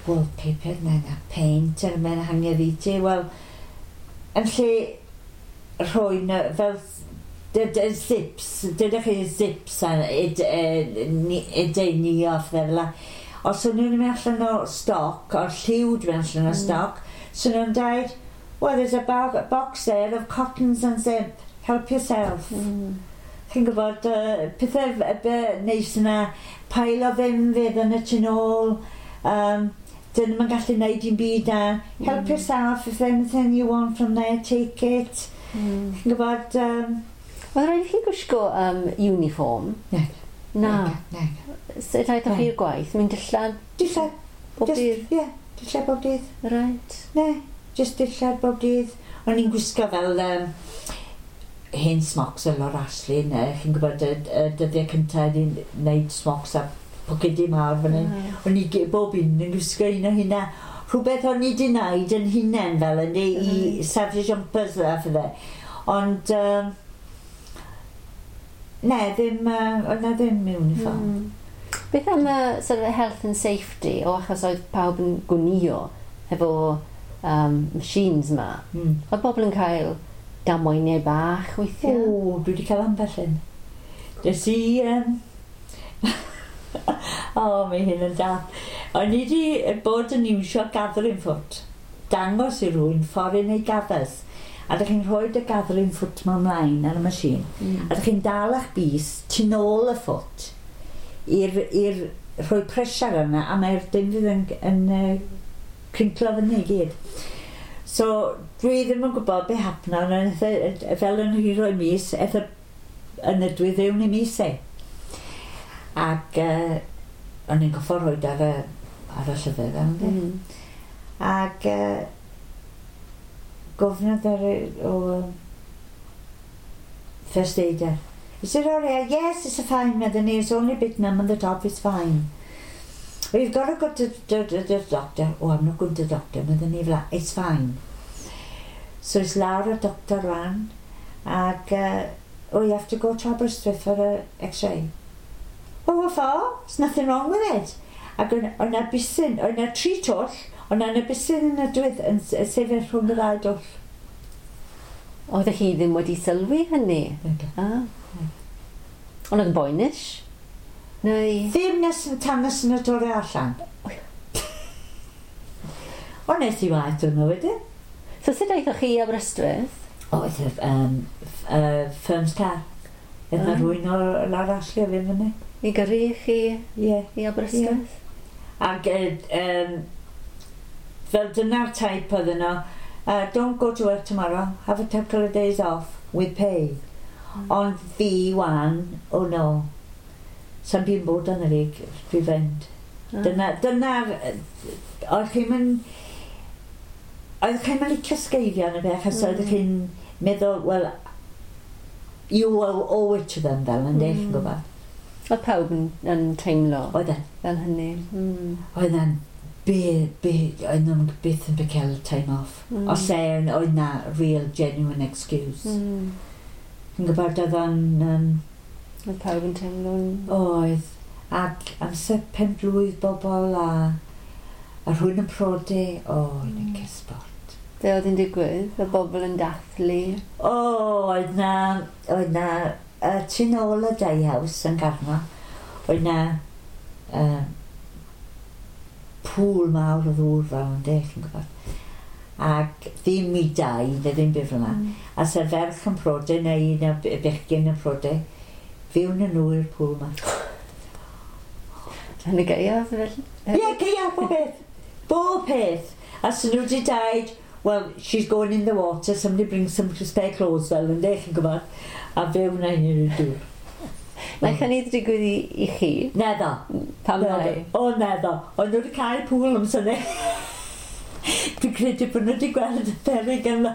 Speaker 2: wallpaper neu na paint ar mewn hangiad i ti, wel, yn lle rhoi na, fel dy, dy, zips, dydych chi zips a yd ni off fel la. Os o'n nhw'n mynd allan o stoc, o'r lliw dwi'n mynd allan o
Speaker 1: Mm.
Speaker 2: stoc, so nhw'n dweud, Well, there's a box there of cottons and zip. Help yourself. Mm. Chi'n gwybod, uh, pethau neis yna, pile o ddim fydd yn y tu nôl, um, dyn nhw'n gallu gwneud dim byd a help mm. yourself, if anything you want from there, take it. Mm. Chi'n gwybod... Um,
Speaker 1: Oedd rhaid i chi gwisgo um, uniform?
Speaker 2: Ne.
Speaker 1: Na. Ne. Sut aethoch chi'r gwaith? Mynd dillad?
Speaker 2: Dillad.
Speaker 1: Bob dydd?
Speaker 2: Ie, dillad bob dydd.
Speaker 1: Right.
Speaker 2: Ne, just dillad bob dydd. O'n i'n gwisgo fel... Um, hen smocks fel o'r Ashley, ne? Chi'n gwybod y, y dyddiau cyntaf i'n wneud smocks a pocedi mawr fan hyn. Mm. O'n i bob un yn gwisgo un o hynna. Rhywbeth o'n i di wneud yn hunain fel yn mm. i safio jumpers a phethau. Ond, um, ne, ddim, uh, oedd na ddim uniform.
Speaker 1: Mm. Beth am y sort of health and safety, o achos oedd pawb yn gwnio efo um, machines ma? Mm. Oedd bobl yn cael damweiniau bach weithiau?
Speaker 2: O, dwi wedi cael ambell un. Des i... Um... o, mae hyn yn da. O'n i wedi bod yn iwsio gathering foot. Dangos i rywun ffordd i wneud gathers. A dych chi'n rhoi y gathering foot ma ymlaen ar y machine. Mm. A dych chi'n dal eich bys tu nôl y foot i'r i'r rhoi pressure yna a mae'r dim fydd yn, yn uh, crinklo fyny i gyd. So, dwi ddim yn gwybod be hapna, ond fel yn hi rhoi mis, eth yn y dwi ddewn i mis e. Ac uh, o'n i'n goffo rhoi ar y, ar y llyfr, mm. Ac uh, gofnodd ar o um, first aider. Is it all right? Yes, it's a fine, medden ni. It's only a bit numb on the top, it's fine. Well, you've got to go to the doctor. Oh, I'm not going to the doctor, medden ni fel. It's fine. So it's lawr y doctor rwan, ac, uh, oh, you have to go to Aberystwyth for a x-ray. Oh, what for? There's nothing wrong with it. Ac o'n na bysyn, o'n na tri twll, o'n na bysyn yn y dwydd yn sefyll rhwng y ddau dwll.
Speaker 1: Oeddech chi ddim wedi sylwi hynny? Ah. Ond oedd yn boenus? Neu...
Speaker 2: Ddim nes tan nes yn y dod allan. O, nes i waith hwnnw wedyn.
Speaker 1: So sut aethoch chi i Aberystwyth?
Speaker 2: O, oedd y um, uh, firm's car. Oedd na rhywun o'r lawr Ashley a fi fyny.
Speaker 1: I gyrru chi
Speaker 2: yeah.
Speaker 1: i Aberystwyth?
Speaker 2: Yeah. Ac um, fel dyna'r type oedd yno, uh, don't go to work tomorrow, have a couple of days off with pay. Mm. Ond fi wan, oh no, sa'n byd bod yn y fi, dwi fynd. Mm. Dyna, dyna'r, oedd chi'n mynd, oedd chi'n mynd licio sgeifio yn y beth, achos mm. oedd chi'n meddwl, well, you owe it to them fel yn mm. chi'n gwybod.
Speaker 1: Oedd pawb yn, yn teimlo
Speaker 2: oedd e.
Speaker 1: Fel hynny. Mm.
Speaker 2: Oedd e'n be, be, oedd nhw'n byth yn cael time off. Mm. Os e, oedd na real genuine excuse. Mm. Chi'n gwybod oedd o'n... Um,
Speaker 1: oedd pawb yn teimlo'n...
Speaker 2: Oedd. Ac amser pen blwydd bobl a, a rhywun yn prodi, o, oh, yn mm. cysbort.
Speaker 1: Be oedd yn digwydd? Y bobl yn dathlu?
Speaker 2: O, oh, oedd na, oedd na, uh, tu nôl y Day House yn Garno, oedd na uh, pŵl mawr o ddŵr fel yn de, chi'n gwybod. Ac ddim i dau, neu ddim byd fel yna. Mm. A se ferch yn prodi, neu un o bechgyn yn prodi, fiwn yn nhw i'r pŵl yma.
Speaker 1: Yn y gaeaf fel?
Speaker 2: Ie, yeah, gaeaf, bob peth. Bob peth. A so nhw wedi dweud, well, she's going in the water, somebody bring some spare clothes fel yn de, chi'n gwybod. A fewn na hyn i'r dŵr.
Speaker 1: Na hynny digwydd i, i chi?
Speaker 2: Neddo.
Speaker 1: Pam lai?
Speaker 2: O, neddo. Ond nhw wedi cael pŵl am syni. Dwi'n credu bod nhw wedi gweld y peryg yma.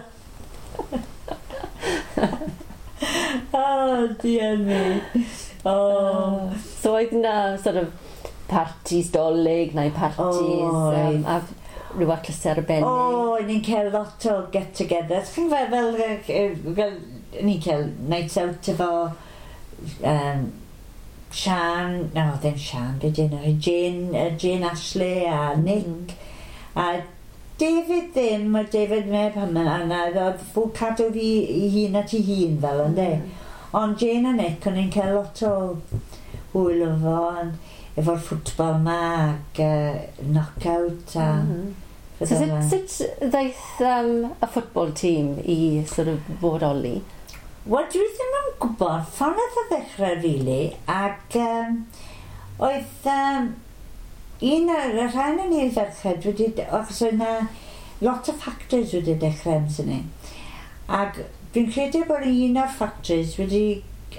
Speaker 2: Oh, dear me. Oh.
Speaker 1: So oedd na sort of parties dolyg neu parties
Speaker 2: oh,
Speaker 1: um, a rhyw achlysur arbennig?
Speaker 2: O, oh, ni'n cael lot o get-togethers. Chi'n fel, fel, fel, ni'n cael nights out efo um, Sian, no, ddim Sian, be di enw, Jane, uh, Jane Ashley a Nick mm. a David ddim, a David meb hynny, a na, oedd fw cadw fi i hun at ei hun fel ynddo. Mm. Ond Jane a Nick, o'n i'n cael lot o hwyl efo, efo'r ffwtbol ma ac uh, knockout a mm.
Speaker 1: So sut, sut ddaeth um, y football team i sort of bodoli?
Speaker 2: Wel, dwi ddim yn gwybod. Ffordd nath o ddechrau, really, ac um, oedd um, un o'r rhan yn i'r ferched wedi, achos oedd na lot o factories wedi dechrau amser ni. Ac dwi'n credu bod un o'r factories wedi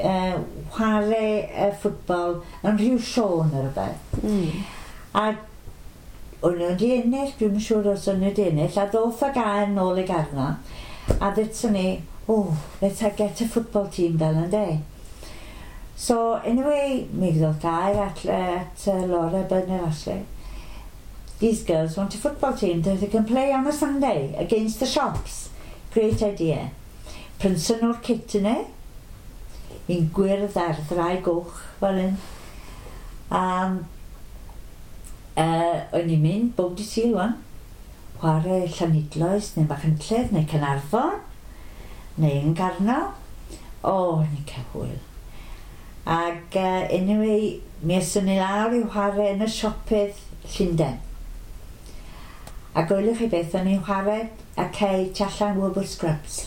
Speaker 2: uh, chwarae uh, ffwtbol yn rhyw sioe neu rhywbeth.
Speaker 1: Mm.
Speaker 2: A o'n nhw wedi ennill, dwi'n siŵr os o'n nhw wedi ennill, a ddoth y gair nôl i Garno, a ddetson ni, oh, let's get a football team fel yn de. So, anyway, mi ddoth gair at, at uh, Laura Bernard Ashley. These girls want a football team that they can play on a Sunday against the shops. Great idea. Prynson nhw'r kit yna, un gwyrdd a'r ddraig goch fel un. Um, uh, o'n i'n mynd bob dydd Sul wan, chwarae Llanidloes neu Machynlleth neu Caernarfon neu yn Garno. O, o'n i'n cael hwyl. Ac uh, anyway, mi eson ni lawr i chwarae yn y siopydd Llundain. A gwylwch chi beth, o'n i'n chwarae a cei tu allan Woolworth Scrubs.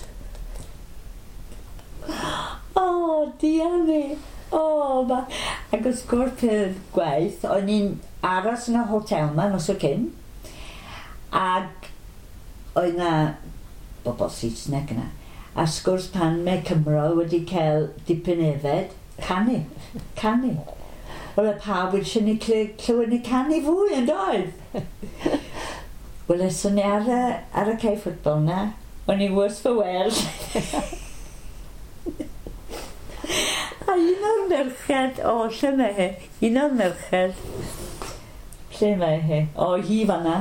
Speaker 2: O, diar mi. O, ma... Ac wrth gwrs peth gwaith, o'n i'n aros yn y hotel ma nos o cyn. Ac oedd na bobl Saesneg yna. A sgwrs pan mae Cymro wedi cael dipyn efed, canu, canu. Wel, y pawb wedi eisiau ni clywed ni canu fwy yn doedd. Wel, eson ni ar y, ar y cae ffwtbol na, o'n i worse for wear. A un o'r merched, o, lle mae hi? Un o'r merched, lle mae hi? O, hi fanna.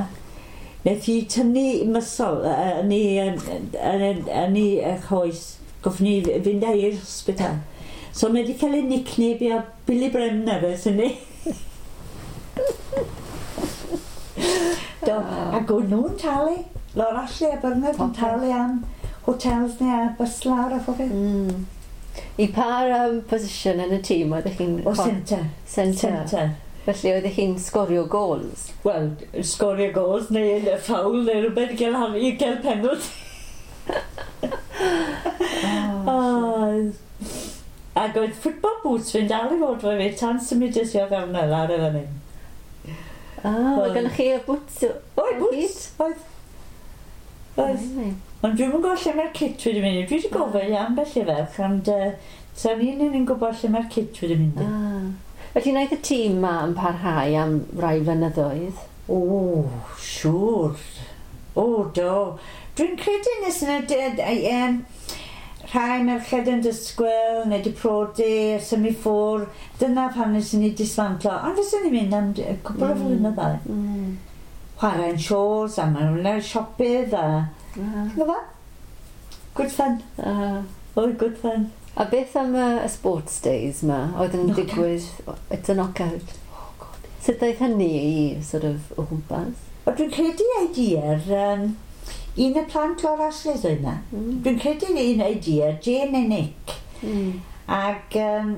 Speaker 2: Wnaeth hi tynnu muscle yn ei, yn ei choes. Goffon ni fynd â i'r hospital. So mae wedi cael ei nickname o Billy Bremner ers hynny. Do, ac o'n nhw'n talu. Laura Ashley a Bernard yn talu am hotels neu a bus lawr a phobeth.
Speaker 1: Mm. I pa um, position yn y tîm oeddech chi'n...
Speaker 2: O, centre.
Speaker 1: Centre.
Speaker 2: Centre.
Speaker 1: Felly oeddech chi'n sgorio goals?
Speaker 2: Wel, sgorio goals neu foul neu rhywbeth i gael, i gael penalty.
Speaker 1: Oh,
Speaker 2: oh. Ac oedd football boots fi'n dal i fod fo fi tan symudes i o fewn lawr i fan hyn.
Speaker 1: Ah, oedd gennych chi y boots?
Speaker 2: Oedd, boots, oedd. Oedd. Ond dwi'm yn gwybod lle mae'r kit wedi mynd. Dwi wedi gofyn i ambell i ferch, ond uh, sa'n un yn gwybod lle mae'r kit wedi mynd.
Speaker 1: Ah. Felly wnaeth y tîm ma yn parhau am rai flynyddoedd?
Speaker 2: O, siŵr. O, do. Dwi'n credu nes yna um, rhai merched yn disgwyl, neu di prodi, symud ffwr. Dyna pan nes ni dismantlo. Ond fyswn ni'n mynd am cwpl o flynyddoedd.
Speaker 1: Mm.
Speaker 2: Chwarae'n shows, a maen nhw'n siopydd, a...
Speaker 1: Uh.
Speaker 2: Ti'n gwybod? Good fun.
Speaker 1: Uh.
Speaker 2: Oh, good fun.
Speaker 1: A beth am y, y sports days ma? Oedd yn
Speaker 2: Knockout.
Speaker 1: digwydd... It's a knockout.
Speaker 2: Oh, God.
Speaker 1: Sut ddaeth hynny i sort of o gwmpas?
Speaker 2: O, dwi'n credu idea, um, un y plant o'r Ashley's oedd yna.
Speaker 1: Mm.
Speaker 2: Dwi'n credu un idea, Jane a Nick.
Speaker 1: Mm.
Speaker 2: Ac um,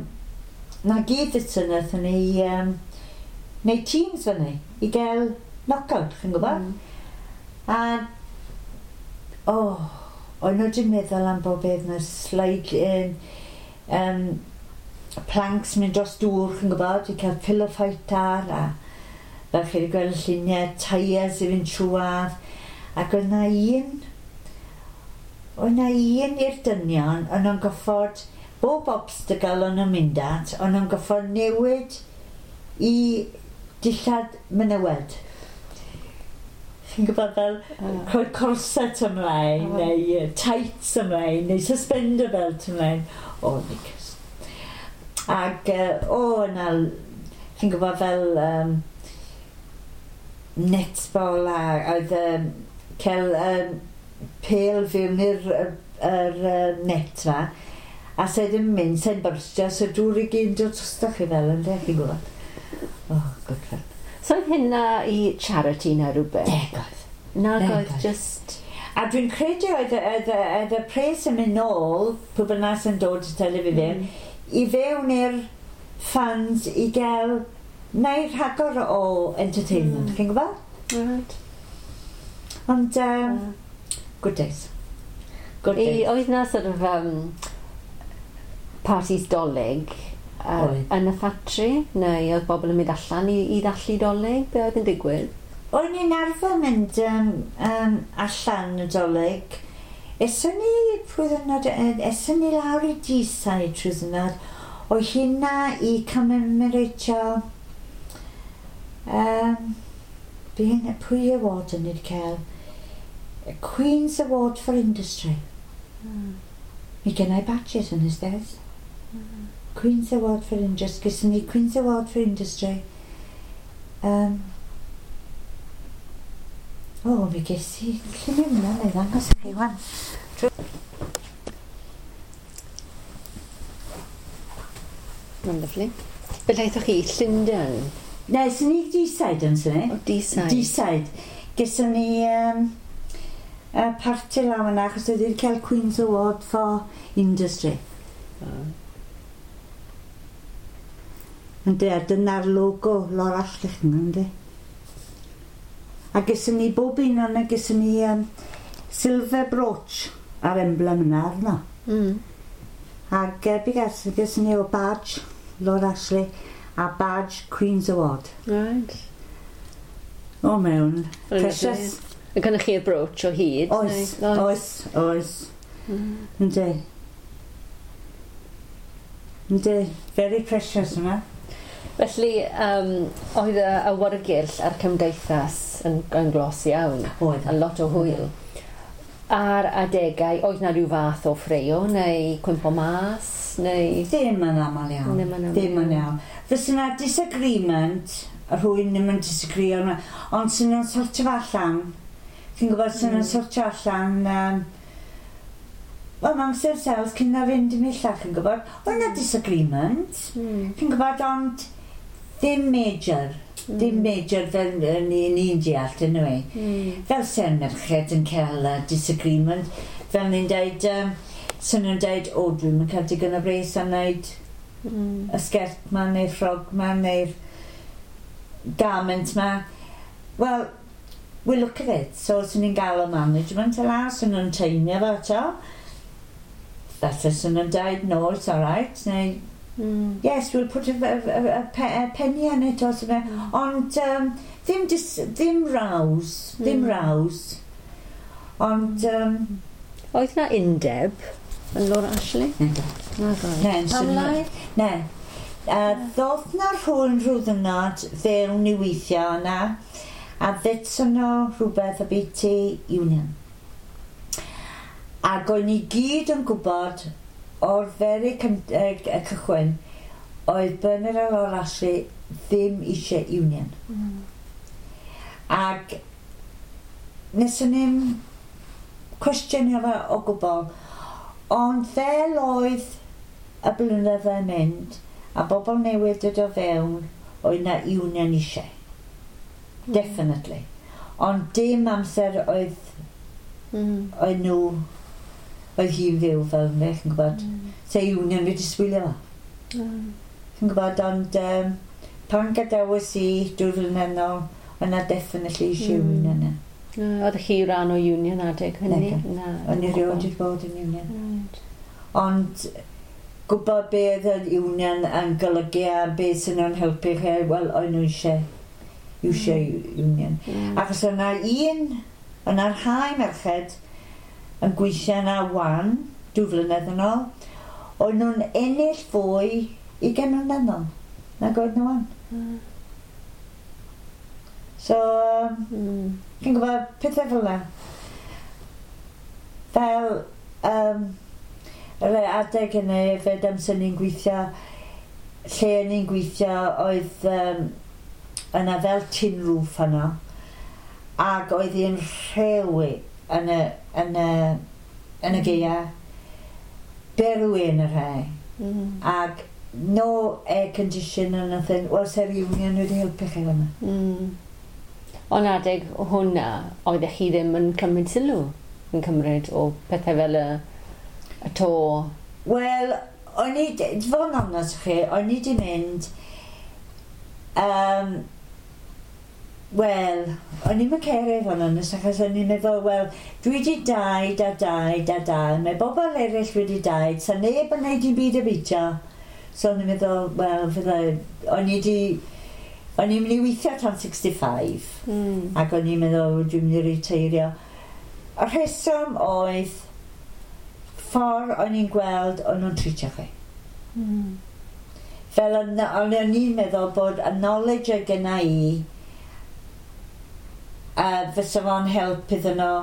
Speaker 2: na gyd ydyn nathon ni um, neud teams fyny i gael knockout, chi'n gwybod?
Speaker 1: Mm.
Speaker 2: A, oh, o'n nhw wedi meddwl am bob beth, na slide, um, um, planks mynd dros dŵr, chi'n gwybod, i cael pillow fight ar, a fel chi wedi gweld y lluniau, tyres i fynd trwadd, ac oedd na un, oedd na un i'r dynion, o'n nhw'n goffod, bob obstacle o'n nhw'n mynd at, o'n nhw'n goffod newid i dillad menywod. Chi'n gwybod fel
Speaker 1: Uh.
Speaker 2: rhoi corset ymlaen,
Speaker 1: Oh.
Speaker 2: neu uh, tights ymlaen, neu suspender belt ymlaen. O, nicus. Ac, uh, o, yna, chi'n gwybod fel um, netball a oedd um, cael um, pêl fewn i'r yr, yr, uh, net ma, a se ddim mynd, se'n byrstio, so dŵr i gyd yn dod drosto chi fel yn de, chi'n gwybod. Oh, good fun.
Speaker 1: So oedd hynna i charity na rhywbeth?
Speaker 2: Nag oedd.
Speaker 1: Nag
Speaker 2: Nag
Speaker 1: oedd
Speaker 2: oedd.
Speaker 1: just...
Speaker 2: A dwi'n credu oedd, oedd, oedd y pres yn mynd nôl, pwy bynnag sy'n dod i tele fi fewn, i fewn i'r funds i gael neu rhagor o entertainment,
Speaker 1: Mm.
Speaker 2: chi'n gwybod?
Speaker 1: Right.
Speaker 2: Ond, um, good days. Good days.
Speaker 1: I, oedd na sort of um, parties Dolig uh, yn y ffatri? Neu oedd bobl yn mynd allan i, i ddathlu Dolig? Be oedd yn digwydd?
Speaker 2: O'n i'n arfer mynd um, um, allan y Dolig. Eson ni, pwy ddynod, eson ni lawr i Deeside trwy ddynod, o hynna i commemoratio um, pwy award yn ni wedi cael? Queen's Award for Industry. Mm. Mi gennau badges yn ystedd. Mm. Queen's Award for Industry. Gyson ni Queen's Award for Industry. Um, o, oh, mi ges i llun yna, neu ddangos i chi wan.
Speaker 1: Mae'n lyfli. Felly aethoch chi i Llundain?
Speaker 2: Ne, sy'n ni Deeside yn sy'n ni.
Speaker 1: O, Deeside.
Speaker 2: Deeside. Gyson ni um, uh, parti law yna, achos oedd wedi cael Queen's Award for Industry. Oh. Yndi, a dyna'r logo Laura Ashley, yndi. A gyson ni bob un o'na, gyson ni um, silver brooch a'r emblem yna arno. Mm. Ac uh, gas, gyson ni o badge Laura Ashley a badge Queen's Award.
Speaker 1: Right.
Speaker 2: O mewn. Precious.
Speaker 1: A gynnoch chi'r brooch o hyd?
Speaker 2: Oes, neu? Oes, oes. Mm. Yndi. Yndi, very precious yma.
Speaker 1: Felly, um, oedd y awyrgylch a'r cymdeithas yn, yn glos iawn.
Speaker 2: Oedd.
Speaker 1: A lot o hwyl. Ar adegau, oedd na rhyw fath o ffreio neu cwympo mas, neu...
Speaker 2: Ddim yn aml iawn.
Speaker 1: Ddim yn aml
Speaker 2: Ddim yn iawn. Fysa na disagreement, a rhywun ddim yn disagree, ond sy'n nhw'n sortio fo allan. Chi'n gwybod, sy'n nhw'n mm. sortio allan... Um, Wel, amongst themselves, cyn na fynd i millach, chi'n gwybod. Oedd na disagreement, mm. chi'n gwybod, ond ddim major. Mm. Ddim major fel ni'n ni deall, anyway. Mm. Fel sy'n merched yn cael uh, disagreement, fel ni'n deud, um, sy'n nhw'n deud, o, dwi'n mynd cael digon o bres am wneud mm. y sgert ma, neu'r ffrog ma, neu'r garment ma. Wel, we look at it. So, sy'n ni'n gael o management yla, sy'n nhw'n teimio fo eto. Falle sy'n nhw'n deud, no, it's all right, neu, mm. yes, we'll put a, a, a, a penny on it or something. Mm. Ond um, ddim, dis, ddim rows, ddim mm. rows. Ond... Um,
Speaker 1: Oedd na undeb yn Laura Ashley?
Speaker 2: Na.
Speaker 1: Na,
Speaker 2: Ne,
Speaker 1: Pam lai?
Speaker 2: Ne. Uh, ddoth na rhywun rhyw ddynod fewn i weithio yna, a ddetson nhw rhywbeth obiti union. Ac o'n i gyd yn gwybod o'r very uh, cychwyn oedd Bernard a Laura Ashley ddim eisiau union.
Speaker 1: Mm.
Speaker 2: Ac nes o'n i'n cwestiynio fe o gwbl, ond fel oedd y blynyddoedd yn mynd a bobl newydd dod o fewn, oedd na union eisiau.
Speaker 1: Mm.
Speaker 2: Definitely. Ond dim amser oedd,
Speaker 1: mm.
Speaker 2: oedd nhw, oedd hi'n fyw fel yna, chi'n gwybod.
Speaker 1: Mm.
Speaker 2: Se union wedi sbwylio fo.
Speaker 1: Mm.
Speaker 2: Chi'n gwybod, ond um, pan gadawes i dwy flynedd nôl, oedd na definitely eisiau
Speaker 1: Mm.
Speaker 2: union yna.
Speaker 1: Oeddech chi rhan o union adeg hynny?
Speaker 2: Na. O'n i rioed wedi bod yn union.
Speaker 1: Right.
Speaker 2: Ond gwybod be oedd yr union yn golygu a be sy'n nhw'n helpu chi, wel, o'n nhw eisiau, eisiau union.
Speaker 1: Mm.
Speaker 2: Achos o'na un, o'na rhai merched yn gweithio yna wan, dwy flynedd yn ôl, o'n nhw'n ennill fwy ugain mlynedd yn ôl, nag oedd nhw wan.
Speaker 1: Mm.
Speaker 2: So, um,
Speaker 1: Mm.
Speaker 2: chi'n gwybod, pethau fel yna. Fel, um, yr adeg hynny, fed amser ni'n gweithio, lle ni'n gweithio oedd um, yna fel tin roof yno, ac oedd hi'n rhewi yn y, yn y, yn y gaea, berwi yn y rhai,
Speaker 1: Mm.
Speaker 2: ac no air condition or nothing. Wel, se'r union wedi helpu chi fyna.
Speaker 1: Mm. Ond adeg hwnna, oeddech chi ddim yn cymryd sylw yn cymryd o pethau fel y, y to?
Speaker 2: Wel, o'n i, fod yn onest chi, o'n i di mynd, um, Wel, o'n i'n cario fo'n onest, achos o'n i'n meddwl, wel, dwi wedi daid a daid a daid, mae bobl eraill wedi daid, sa neb yn neud dim byd abwytio. So o'n i'n meddwl, wel, fydda, o'n i wedi, o'n i'n mynd i weithio tan sixty-five,
Speaker 1: Mm.
Speaker 2: ac o'n i'n meddwl, dwi'n mynd i reteirio. Y rheswm oedd, ffordd o'n i'n gweld o'n nhw'n treatio chi.
Speaker 1: Mm.
Speaker 2: Fel o'n o'n i'n meddwl bod y knowledge oedd genna i, uh, fysa fo'n help iddyn nhw,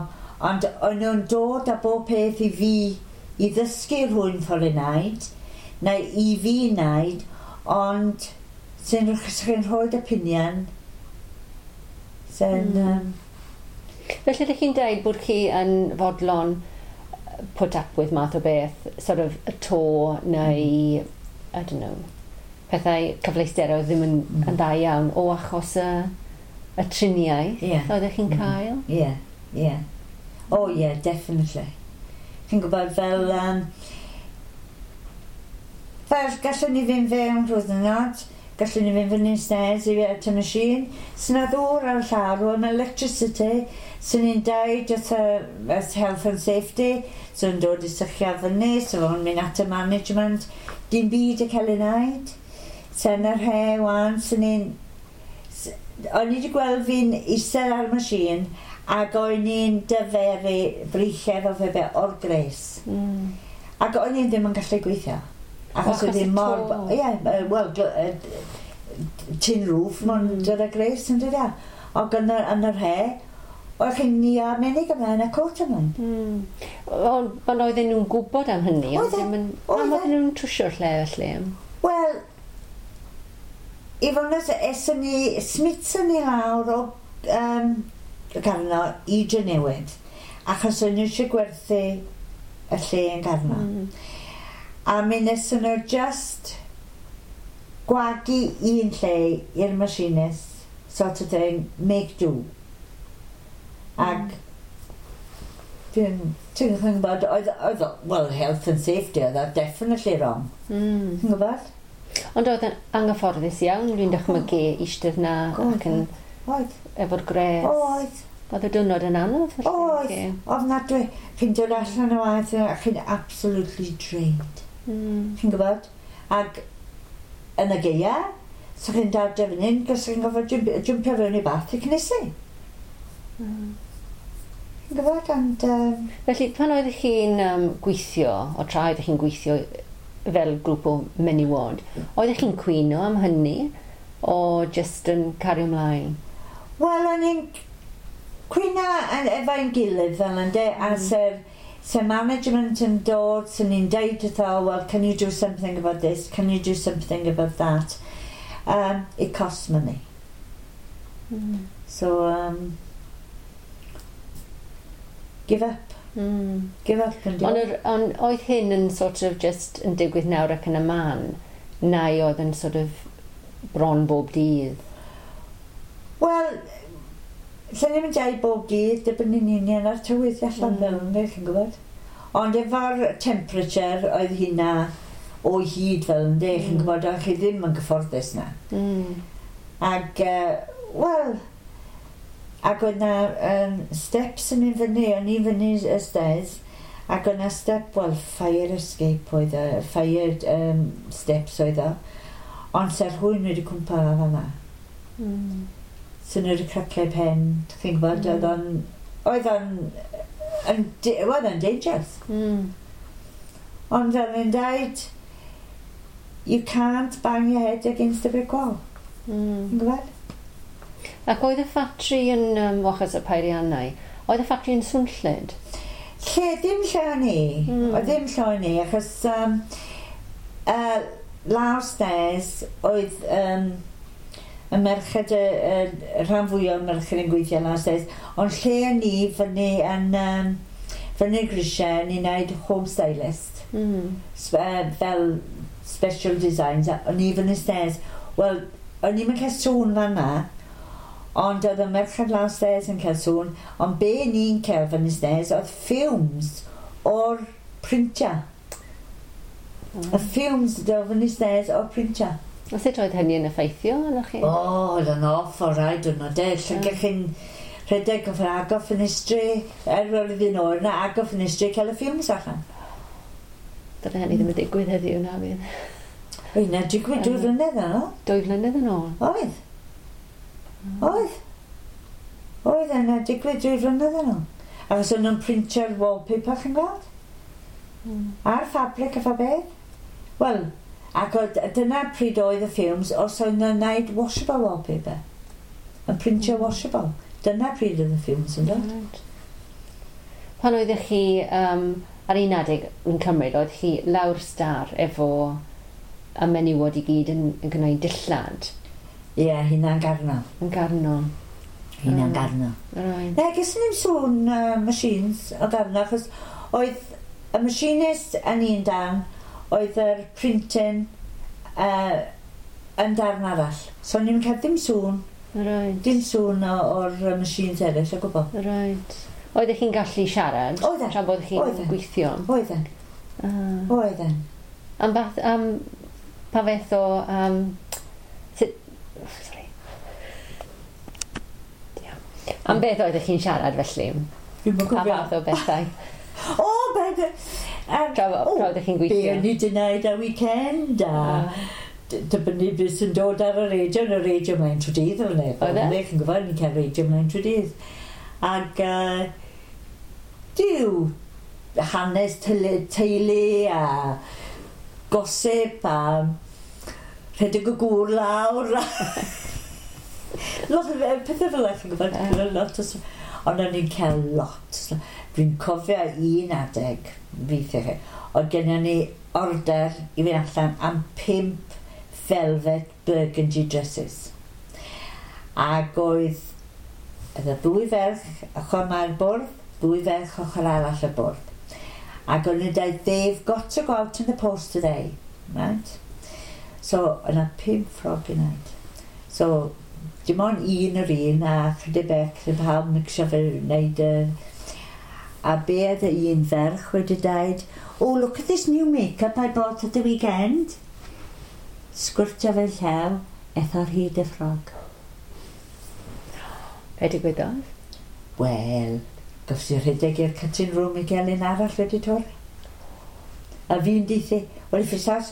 Speaker 2: ond o'n nhw'n dod â bob peth i fi i ddysgu rhywun ffordd i wneud, neu i fi wneud, ond sy'n chi'n rhoi opinion, sy'n...
Speaker 1: Mm.
Speaker 2: Um,
Speaker 1: Felly ydych chi'n dweud bod chi yn fodlon put up with math o beth, sort of y to neu, I don't know, pethau cyfleusterau ddim yn,
Speaker 2: Mm.
Speaker 1: yn dda iawn o achos y, y triniaeth
Speaker 2: Ie.
Speaker 1: oeddech chi'n
Speaker 2: Mm.
Speaker 1: cael?
Speaker 2: Ie, ie. Oh yeah, definitely. Chi'n gwybod fel... Um, fel gallwn ni fynd fewn rhywun, gallwn ni fynd fyny'n stairs i at y machine. Sy'n na ddŵr ar y llawr, o'n electricity. Sy'n ni'n deud wrth y wrth health and safety, sy'n dod i sychio fyny, so fo'n mynd at y management. Dim byd y cael ei wneud. Sy'n yr he wan, sy'n ni'n... s- O'n i wedi gweld fi'n eistedd ar y machine ac o'n i'n dyferu breichiau fo fe fe o'r gres.
Speaker 1: Mm.
Speaker 2: Ac o'n i ddim yn gallu gweithio. Achos
Speaker 1: O, achos
Speaker 2: oedd hi
Speaker 1: y
Speaker 2: mor...
Speaker 1: to.
Speaker 2: Ie, yeah, wel, gl- yy, tin roof, mae'n
Speaker 1: Mm.
Speaker 2: dod â gres yn dod â. Ac yn yr, yn yr he, oedd chi'n ni a menig ymlaen a cot ymlaen.
Speaker 1: Mm. Ond ond oedden nhw'n gwybod am hynny, ond
Speaker 2: Oedden,
Speaker 1: ddim yn... Pam
Speaker 2: oedden.
Speaker 1: oedden nhw'n trwsio'r lle felly?
Speaker 2: Wel, i fod yn onest, eson ni, smithson ni lawr o um, Garno i Drenewydd, achos o'n nhw eisiau gwerthu y lle yn Garno.
Speaker 1: Mm.
Speaker 2: A mi wnaethon nhw just gwagu un lle i'r machinist, sort of thing, make do. Ac dwi'n ti'n gwybod, oedd, oedd, well, health and safety, oedd o definitely wrong.
Speaker 1: Mm.
Speaker 2: Ti'n gwybod?
Speaker 1: Ond oedd yn anghyfforddus iawn, dwi'n dychmygu eistedd na
Speaker 2: Oedd,
Speaker 1: ac yn
Speaker 2: Oedd,
Speaker 1: efo'r gres.
Speaker 2: oedd,
Speaker 1: Oedd y diwrnod yn anodd felly?
Speaker 2: oedd,
Speaker 1: chi?
Speaker 2: ofnadwy. Chi'n dod allan o waith a chi'n absolutely drained.
Speaker 1: Mm.
Speaker 2: Chi'n gwybod? Ac yn y gaea, so chi'n dod fan hyn, cos chi'n gofod jwmpio fewn i bath i cynnesu.
Speaker 1: Mm.
Speaker 2: Chi'n gwybod? And, um,
Speaker 1: Felly, pan oeddech chi'n um, gweithio, o tra oeddech chi'n gweithio fel grŵp o menywod, oeddech chi'n cwyno am hynny, o just yn cario ymlaen?
Speaker 2: Wel, o'n i'n cwyno yn- efo'n gilydd fel yndê, a
Speaker 1: Mm.
Speaker 2: se'r se management yn dod, sy'n ni'n deud wrtho, well, can you do something about this? Can you do something about that? Um, it costs money.
Speaker 1: Mm.
Speaker 2: So, um, give up.
Speaker 1: Mm.
Speaker 2: Give up and do
Speaker 1: Ond yr- ond oedd hyn yn sort of just yn digwydd nawr ac yn y man, neu oedd yn sort of bron bob dydd?
Speaker 2: Wel, lle ni'n mynd dweud bob dydd, dibynnu'n union ar tywydd allan
Speaker 1: Mm.
Speaker 2: fel ynddo, chi'n gwybod. Ond efo'r temperature oedd hynna o hyd fel ynddo, chi'n
Speaker 1: Mm.
Speaker 2: gwybod, oedd chi ddim yn gyfforddus na.
Speaker 1: Mm.
Speaker 2: Ac, uh, wel, ac oedd na um, steps yn mynd fyny, o'n i fyny y stairs, ac oedd na step, wel, fire escape oedd o, fire um, steps oedd o, ond sa'r rhywun wedi cwmpa fan'na.
Speaker 1: Mm.
Speaker 2: So nhw wedi cracio pen, chi'n gwybod,
Speaker 1: Mm.
Speaker 2: oedd o'n, oedd o'n, yn, oedd o'n dangerous.
Speaker 1: Mm.
Speaker 2: Ond fel yn dweud, you can't bang your head against a brick wall.
Speaker 1: Mm.
Speaker 2: Chi'n gwybod?
Speaker 1: Ac oedd y ffatri yn, um, achos y peiriannau, oedd y ffatri yn swnllyd?
Speaker 2: Lle, ddim lle o'n i.
Speaker 1: Mm.
Speaker 2: Oedd ddim lle o'n i, achos um, uh, lawr stairs oedd um, y merched, y, y, y rhan fwyaf o'r merched yn gweithio lawr stairs, ond lle o'n i fyny yn, um, fyny'r grisiau, o'n i'n neud home stylist.
Speaker 1: Mm.
Speaker 2: sp- uh, fel special designs, a o'n i fyny stairs. Wel, o'n i'm yn cael sŵn fan'na, ond oedd y merched lawr stairs yn cael sŵn, ond be ni'n cael fyny stairs oedd fumes o'r printer.
Speaker 1: Mm.
Speaker 2: Y fumes oedd fyny stairs o'r printer.
Speaker 1: A sut oedd hynny yn effeithio arnoch chi?
Speaker 2: O, oedd yn awful rhaid diwrnod e. Llygach chi'n rhedeg yn agor ffenestri, er roedd hi'n oer na, agor ffenestri, cael y fumes allan.
Speaker 1: Dyna hynny ddim yn digwydd heddiw na fydd.
Speaker 2: Oedd na digwydd dwy flynedd yn ôl.
Speaker 1: Dwy flynedd yn ôl?
Speaker 2: Oedd. Oedd. Oedd yna digwydd dwy flynedd yn ôl. Achos o'n nhw'n printio'r wallpaper, chi'n gweld? Mm. A'r fabric a fa beth. Wel, ac oedd, dyna pryd oedd y fumes, os oedd nhw'n gwneud washable wallpaper. Yn printio mm. washable. Dyna pryd oedd y fumes yn dod.
Speaker 1: Right. Pan oeddech chi um, ar un adeg yn cymryd, oedd chi lawr star efo y menywod i gyd yn, yn gwneud dillad?
Speaker 2: Ie, yeah, hynna'n Garno.
Speaker 1: Yn Garno.
Speaker 2: Hynna'n mm. Garno.
Speaker 1: Right.
Speaker 2: Na, ges ni'n sŵn uh, machines o Garno, achos oedd y machinist yn un darn, oedd yr printing uh, yn darn arall. So ni'n cael dim sŵn.
Speaker 1: Right.
Speaker 2: Dim sŵn o'r machines eraill o gwbl.
Speaker 1: Right. Oeddech chi'n gallu siarad?
Speaker 2: Oedden.
Speaker 1: Tra bod chi'n gweithio?
Speaker 2: Oedden.
Speaker 1: Uh.
Speaker 2: Oedden.
Speaker 1: Am bath, am pa fath o... Um, sut, sorry. Ia. Am beth oeddech chi'n siarad felly?
Speaker 2: Dwi'm yn
Speaker 1: Pa
Speaker 2: cofio.
Speaker 1: fath o bethau?
Speaker 2: O, beth... Um,
Speaker 1: Tra, tra oeddech chi'n
Speaker 2: Be
Speaker 1: gweithio?
Speaker 2: o'n i wedi gwneud ar weekend a
Speaker 1: Ah.
Speaker 2: d- dibynnu beth sy'n dod ar y radio, yn y radio mlaen trwy dydd o'n e.
Speaker 1: Oedd e?
Speaker 2: Chi'n gwybod, ni'n cael radio mlaen trwy dydd. Ac uh, diw, hanes teulu, teulu a gossip a rhedeg y gŵr lawr. Lot o pethau fel 'na, chi'n gwybod,
Speaker 1: Ie.
Speaker 2: lot o... Ond o'n i'n cael lot. Dwi'n cofio un adeg, weithiau chi, oedd gennym ni order i fynd allan am pump velvet burgundy dresses. Ac oedd oedd y ddwy ferch ochr 'ma'r bwrdd, ddwy ferch ochr arall y bwrdd. Ac o'n nhw'n dweud, "They've got to go out in the post today," right? So, yna pump ffrog i wneud. So, dim ond un yr un a chydig bech, chydig pawb mixio fe wneud y... A be oedd y un ferch wedi dweud, "Oh, look at this new make-up I bought at the weekend." Sgwrtio fe llaw, eth ar hyd y ffrog.
Speaker 1: Be digwyddodd?
Speaker 2: Wel, gofsi i rhedeg i'r cutting room i gael un arall wedi torri. A fi'n deithi, "Well, if it's not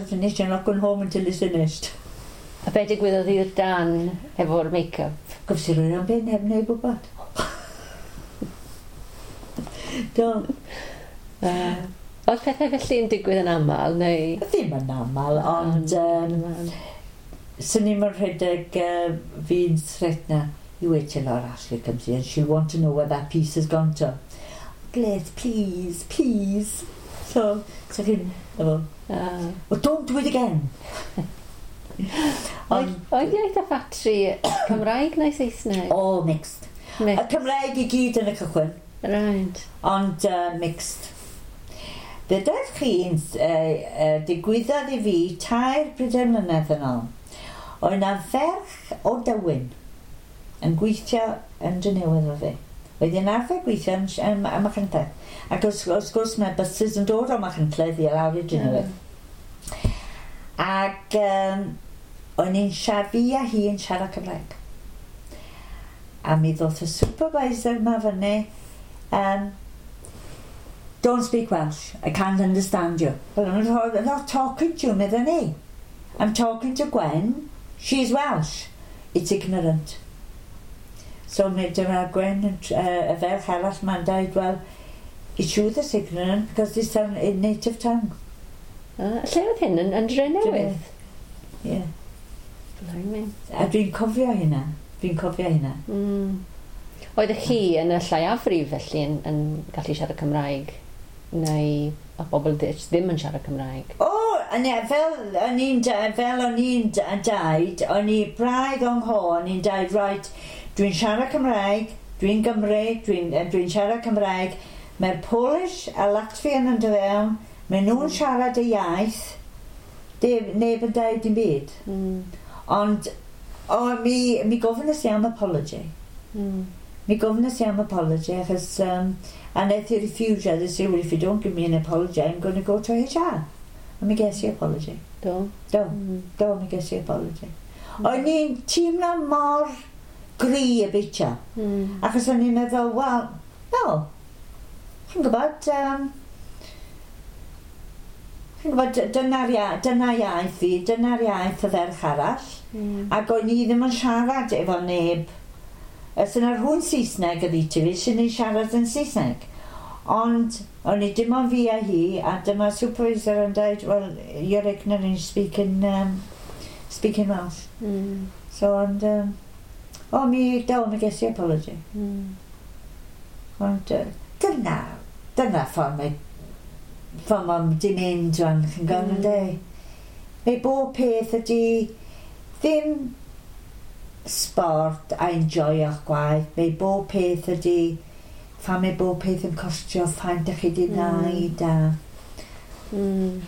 Speaker 2: finished, you're not going home until it's finished."
Speaker 1: A be digwyddodd i'r dan efo'r make-up?
Speaker 2: Gofsi i roi o'n bin heb neb wybod. Do.
Speaker 1: Uh, oedd pethau felly yn digwydd yn aml, neu...
Speaker 2: Ddim yn aml, ond um, swn i'n rhedeg uh, fi'n threatna, "You wait till our Ashley comes here and she'll want to know where that piece has gone to. Glydd, please, please." So, so chi'n, efo,
Speaker 1: Uh,
Speaker 2: "Well, don't do it again."
Speaker 1: Oedd oedd iaith y ffatri Cymraeg neu Saesneg?
Speaker 2: All mixed. Y
Speaker 1: Mixed.
Speaker 2: Cymraeg i gyd yn y cychwyn,
Speaker 1: Right.
Speaker 2: ond uh, mixed. Ddeudodd chi'n uh, uh, digwyddodd i fi tair pedair mlynedd yn ôl. Oedd yna ferch o Dywyn yn gweithio yn Drenewydd efo fi. Oedd hi'n arfer gweithio yn, yn, yn Machynlleth. Ac wrth, wrth gwrs mae buses yn dod o Machynlleth i lawr i Drenewydd. Ac um, o'n i'n siarad, fi a hi yn siarad Cymraeg. A mi ddoth y supervisor yma fyny, um, "Don't speak Welsh, I can't understand you." "Well, I'm not, I'm not talking to you," meddwn ni. "I'm talking to Gwen, she's Welsh." "It's ignorant." So mi dyma Gwen, yn tr- uh, y ferch arall ma'n dweud, "Well, it's you that's ignorant because it's our native tongue."
Speaker 1: Uh, lle oedd hyn? Yn, yn Drenewydd?
Speaker 2: Yeah.
Speaker 1: Blimey.
Speaker 2: A dwi'n cofio hynna. Dwi'n cofio hynna.
Speaker 1: Mm. Oeddech chi yn y lleiafrif felly yn, yn gallu siarad Cymraeg? Neu o bobl ddi- ddim yn siarad Cymraeg?
Speaker 2: O, oh, ie, fel o'n i'n da- fel o'n i'n da- daid, o'n i braidd o'n ho, o'n i'n daid, "Right, dwi'n siarad Cymraeg, dwi'n Gymru, dwi'n dwi siarad Cymraeg, mae'r Polish a Latvian yn dod fewn, maen nhw'n siarad y iaith, neb, neb yn dweud dim byd."
Speaker 1: Mm.
Speaker 2: Ond, o, mi, mi gofynnes i am apology.
Speaker 1: Mm.
Speaker 2: Mi gofynnes i am apology, achos, um, a wnaeth i refuse, they say, "Well, if you don't give me an apology, I'm going to go to H R" A mi ges i apology.
Speaker 1: Do?
Speaker 2: Do. Mm. Do, mi ges i apology. Mm. O'n i'n teimlo mor gry y bitio. Mm. Achos o'n i'n meddwl, wel, no, chi'n gwybod, um, chi'n gwybod, dyna'r ia, dyna iaith fi, dyna'r iaith y ferch arall. Mm. Ac o'n i ddim yn siarad efo neb. Os yna rhywun Saesneg ydi ti fi, sy'n ni'n siarad yn Saesneg. Ond o'n i dim ond fi a hi, a dyma supervisor yn dweud, well, you're ignorant, speaking, um, speaking Welsh. Mm. So, ond, um, o, mi, do, mi ges i apology. Mm. Ond, uh, dyna, dyna ffordd mae, ffordd mae'n di mynd rwan, chi'n gwybod, mm. de. Mae bob peth ydi ddim sport a enjoyo'ch gwaith, mae bob peth ydi phan mae bob peth yn costio, faint ydych chi wedi wneud a...
Speaker 1: Mm.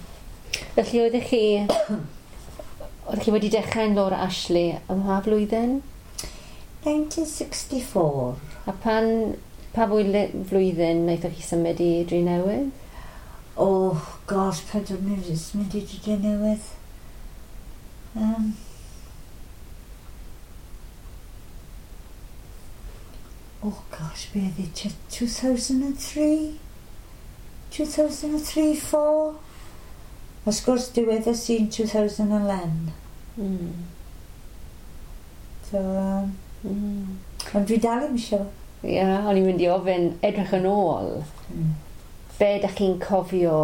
Speaker 1: Felly oeddech chi... oeddech chi wedi dechrau yn Laura Ashley ym mha flwyddyn?
Speaker 2: nineteen sixty-four.
Speaker 1: A pan, pa flwyddyn wnaethoch chi symud i Drenewydd?
Speaker 2: Oh, gosh, pan dwi'n mynd i Drenewydd? Um, Oh gosh, be oedd e? two thousand three? two thousand three, four? Wrth gwrs, diwedd y sy'n two thousand eleven. Mm. So, um, mm. Ond dwi dal i'm isio.
Speaker 1: Ie, yeah, o'n i'n mynd i ofyn, edrych yn ôl. Mm. Be ydych chi'n cofio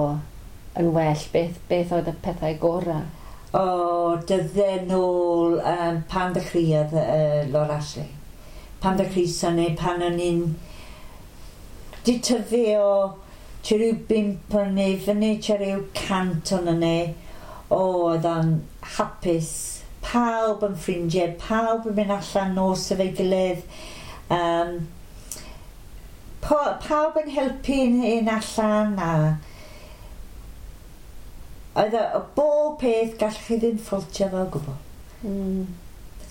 Speaker 1: yn well? Beth, beth oedd y pethau gorau?
Speaker 2: O, oh, dydde nôl um, pan ddechreuodd uh, Laura Ashley. Pan ddechreuson ni, pan o'n i'n di tyfu o tua ryw bump o'n ni, fyny tua ryw cant o'n ni, o, oedd o'n hapus, pawb yn ffrindiau, pawb yn mynd allan nos efo'i gilydd, um, po, pawb yn helpu un allan, a oedd o, bob peth gallech chi ddim ffaultio fo o gwbl. Mm.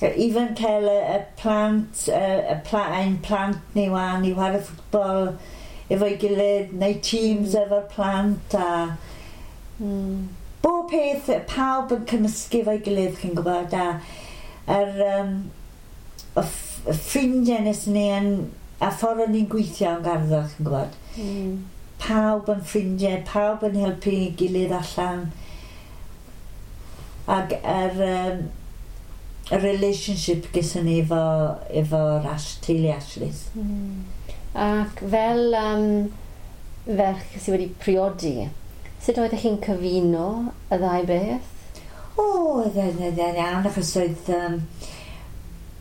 Speaker 2: Even cael y, y plant, y, y pla, ein plant ni wan i chwarae ffwtbol efo'i gilydd, neu teams mm. efo'r plant a mm. bob peth, pawb yn cymysgu efo'i gilydd, chi'n gwybod, a yr, um, y, y ffrindiau nes ni yn, a ffordd o'n ni'n gweithio yn garddo, chi'n gwybod. Mm. Pawb yn ffrindiau, pawb yn helpu ei gilydd allan. Ac yr, um, y relationship gyda ni efo, efo'r Ash, teulu Ashleys.
Speaker 1: Mm. Ac fel um, ferch sydd wedi priodi, sut oeddech chi'n cyfuno y ddau beth?
Speaker 2: O, oedd e'n iawn, achos oedd... Um,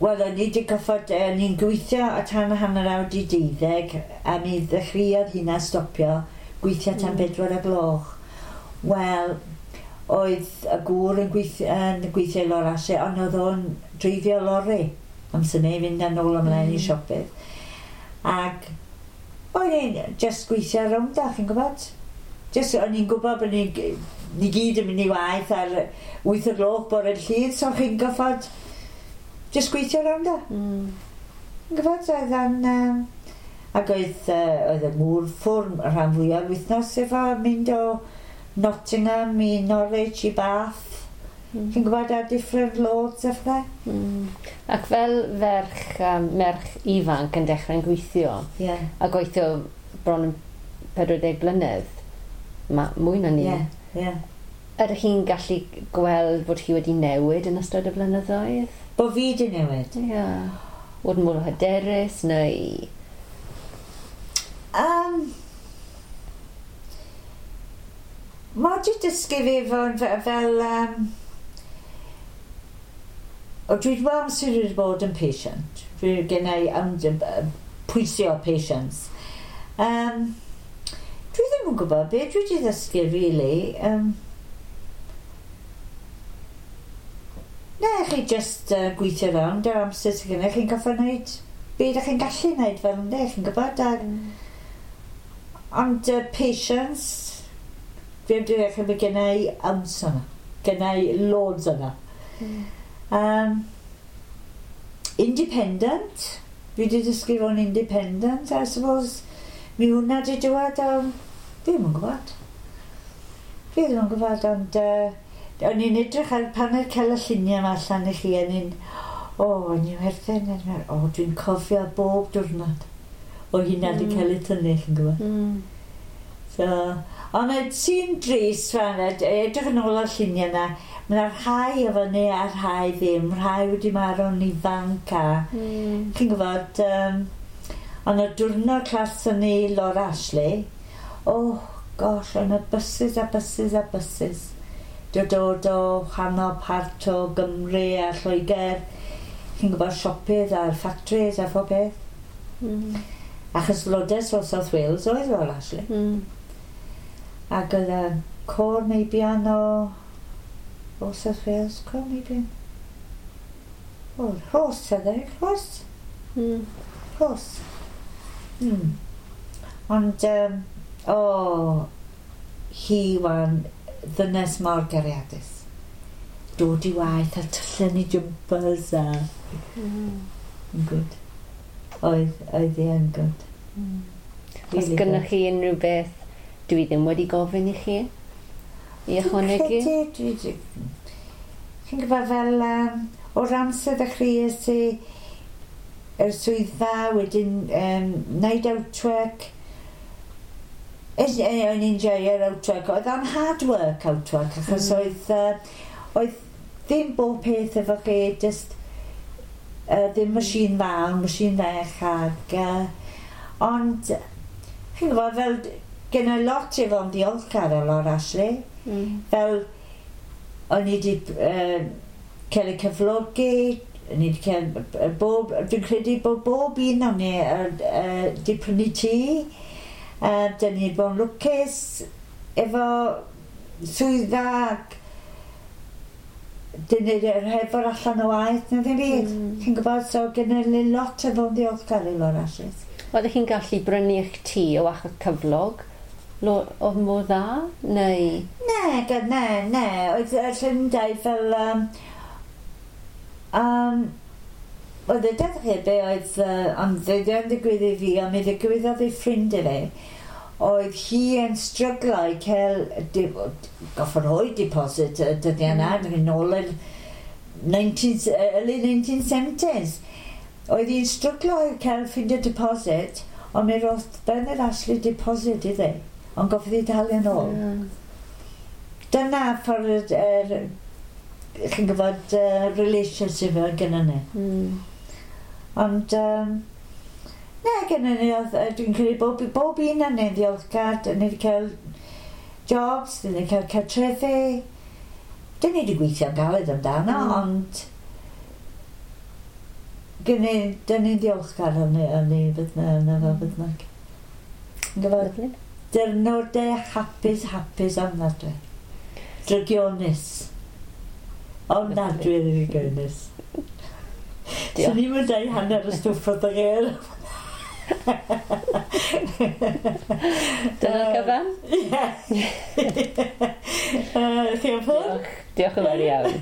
Speaker 2: Wel, o'n i wedi goffod, o'n i'n gweithio o tan hanner awr di deuddeg, a mi ddechreuodd hynna stopio, gweithio tan mm. bedwar y gloch. Wel, oedd y gŵr yn gweithio, yn gweithio i Laura Ashley, ond oedd o'n dreifio lori amser neu fynd yn ôl ymlaen mm. i siopydd. Ac o'n i'n just gweithio rownd a, chi'n gwybod? Just, o'n i'n gwybod bod ni, ni gyd yn mynd i waith ar wyth o'r gloch bore'r Llun, so chi'n goffod just gweithio rownd a. Mm. Yn gwybod, oedd o'n... Um, ac oedd, uh, oedd y mŵr ffwrn y rhan fwyaf wythnos efo mynd o Nottingham i Norwich i Bath. Mm. Chi'n gwybod ar different loads a phethau.
Speaker 1: Mm. Ac fel ferch, um, merch ifanc yn dechrau'n gweithio,
Speaker 2: yeah.
Speaker 1: a gweithio bron yn pedwar deg blynedd, ma, mwy na ni.
Speaker 2: Yeah, yeah.
Speaker 1: Ydych chi'n gallu gweld bod chi wedi newid yn ystod y blynyddoedd?
Speaker 2: Bo fi wedi newid?
Speaker 1: Ie. Yeah. Bod yn mwy hyderus neu...
Speaker 2: Um, Mae wedi dysgu fi fod fel... Um, o, dwi wedi bod amser wedi bod yn patient. Dwi gen i um, pwysio patience. Um, dwi ddim yn gwybod beth dwi wedi ddysgu, really. Um, na, chi just uh, gweithio rownd ar amser sydd gennych chi'n goffa wneud be ydych chi'n gallu wneud fel ynddo, chi'n gwybod. A, mm. Ond uh, patience, fi wedi dechrau bod gen i amser yna. Gen i loads yna. Mm. Um, independent. Fi wedi dysgu fod yn independent, I suppose. Mi hwnna wedi dŵad, um, fi ddim yn gwybod. Fi ddim yn gwybod, ond uh, O'n i'n edrych ar pan oedd cael y lluniau yma allan i chi, o'n i'n, o, o'n i'n werthin, o, dwi'n cofio bob diwrnod o hynna wedi mm. cael ei tynnu, chi'n gwybod.
Speaker 1: Mm.
Speaker 2: So, ond y sy'n drist fan, edrych yn ôl o'r lluniau yna, mae yna rhai efo ni a rhai ddim, rhai wedi marw'n ifanc a,
Speaker 1: mm.
Speaker 2: chi'n gwybod, um, ond y diwrnod clas ni Laura Ashley, oh gosh, ond y buses a buses a buses dod dod o wahanol part o Gymru a Lloegr, chi'n gwybod, siopydd a'r factories a phob peth.
Speaker 1: Mm.
Speaker 2: Achos lodes o South Wales oedd Laura Ashley.
Speaker 1: Mm.
Speaker 2: Ac oedd y côr meibion o, o South Wales, côr meibion. O, Rhos oedd e, Rhos.
Speaker 1: Mm.
Speaker 2: Rhos. Mm. Ond, um, o, hi wan ddynes mor gariadus. Dod i waith a tyllu ni jumpers a...
Speaker 1: Mm.
Speaker 2: Yn good. Oedd, oedd hi yn good.
Speaker 1: Mm. Os
Speaker 2: Really
Speaker 1: gynnwch chi unrhyw beth dwi ddim wedi gofyn i chi i ychwanegu?
Speaker 2: Dwi'n credu, dwi... Chi'n gwybod fel, um, o'r amser ddechreuais i yr swyddfa, wedyn um, wneud outwork. Es- e, O'n i'n joio'r outwork. Oedd o'n hard work outwork, achos
Speaker 1: Mm.
Speaker 2: oedd, uh, oedd ddim bob peth efo chi, just uh, ddim machine fawr, machine fech ag... Uh, ond, chi'n gwybod, fel, gen i lot i fod yn ddiolchgar o Laura Ashley.
Speaker 1: Mm.
Speaker 2: Fel, o'n i wedi uh, cael ei cyflogi, o'n i wedi cael yy, bob, dwi'n credu bod bob un o'n ni uh, uh, wedi prynu tŷ. Uh, dyn ni wedi bod yn lwcus efo swyddfa ac dyn ni hefo'r allan o waith na ddim byd.
Speaker 1: Mm.
Speaker 2: Chi'n gwybod, so gen i lot o fod yn ddiolchgar i Laura Ashley.
Speaker 1: Oeddech chi'n gallu brynu eich tŷ o achos cyflog? Lo, oedd mor dda? Neu...
Speaker 2: Ne, ga- ne, ne. Oedd y Llundain fel... Um, um, oedd y deddf be oedd... Uh, ond dde yn ddigwydd i fi, ond mi ddigwyddodd i ffrind i fi. Oedd hi yn stryglo i cael... di- Goffod rhoi deposit y dyddiau yna, mm. yn ôl yr nineteen, early nineteen seventies. Oedd hi'n stryglo i cael ffindio deposit, ond mi roedd Bernard Ashley deposit iddi, ond goffodd hi dalu yn ôl.
Speaker 1: Mm.
Speaker 2: Dyna ffordd yr, er, chi'n gwybod, uh, relationship oedd gyda ni.
Speaker 1: Mm.
Speaker 2: Ond, um, ne, gyda ni, oedd, yy, dwi'n credu bob, bob un yn ni'n ddiolchgar, dyn ni wedi cael jobs, dyn ni wedi cael cartrefi. Dyn ni wedi gweithio'n galed amdano,
Speaker 1: Mm.
Speaker 2: ond gyn ni, dyn ni'n ddiolchgar yn ni, yn ni, bydd na, yn efo bydd na. Yn gwybod,
Speaker 1: Lovely.
Speaker 2: diwrnodau hapus, hapus ofnadwy. Drygionus. Ofnadwy drygionus.
Speaker 1: Diolch.
Speaker 2: Swn i'n mynd dau hanner y stwff wrth y ger.
Speaker 1: Dyna'r cyfan?
Speaker 2: Ie. Chi am ffwrdd?
Speaker 1: Diolch. Diolch yn fawr iawn.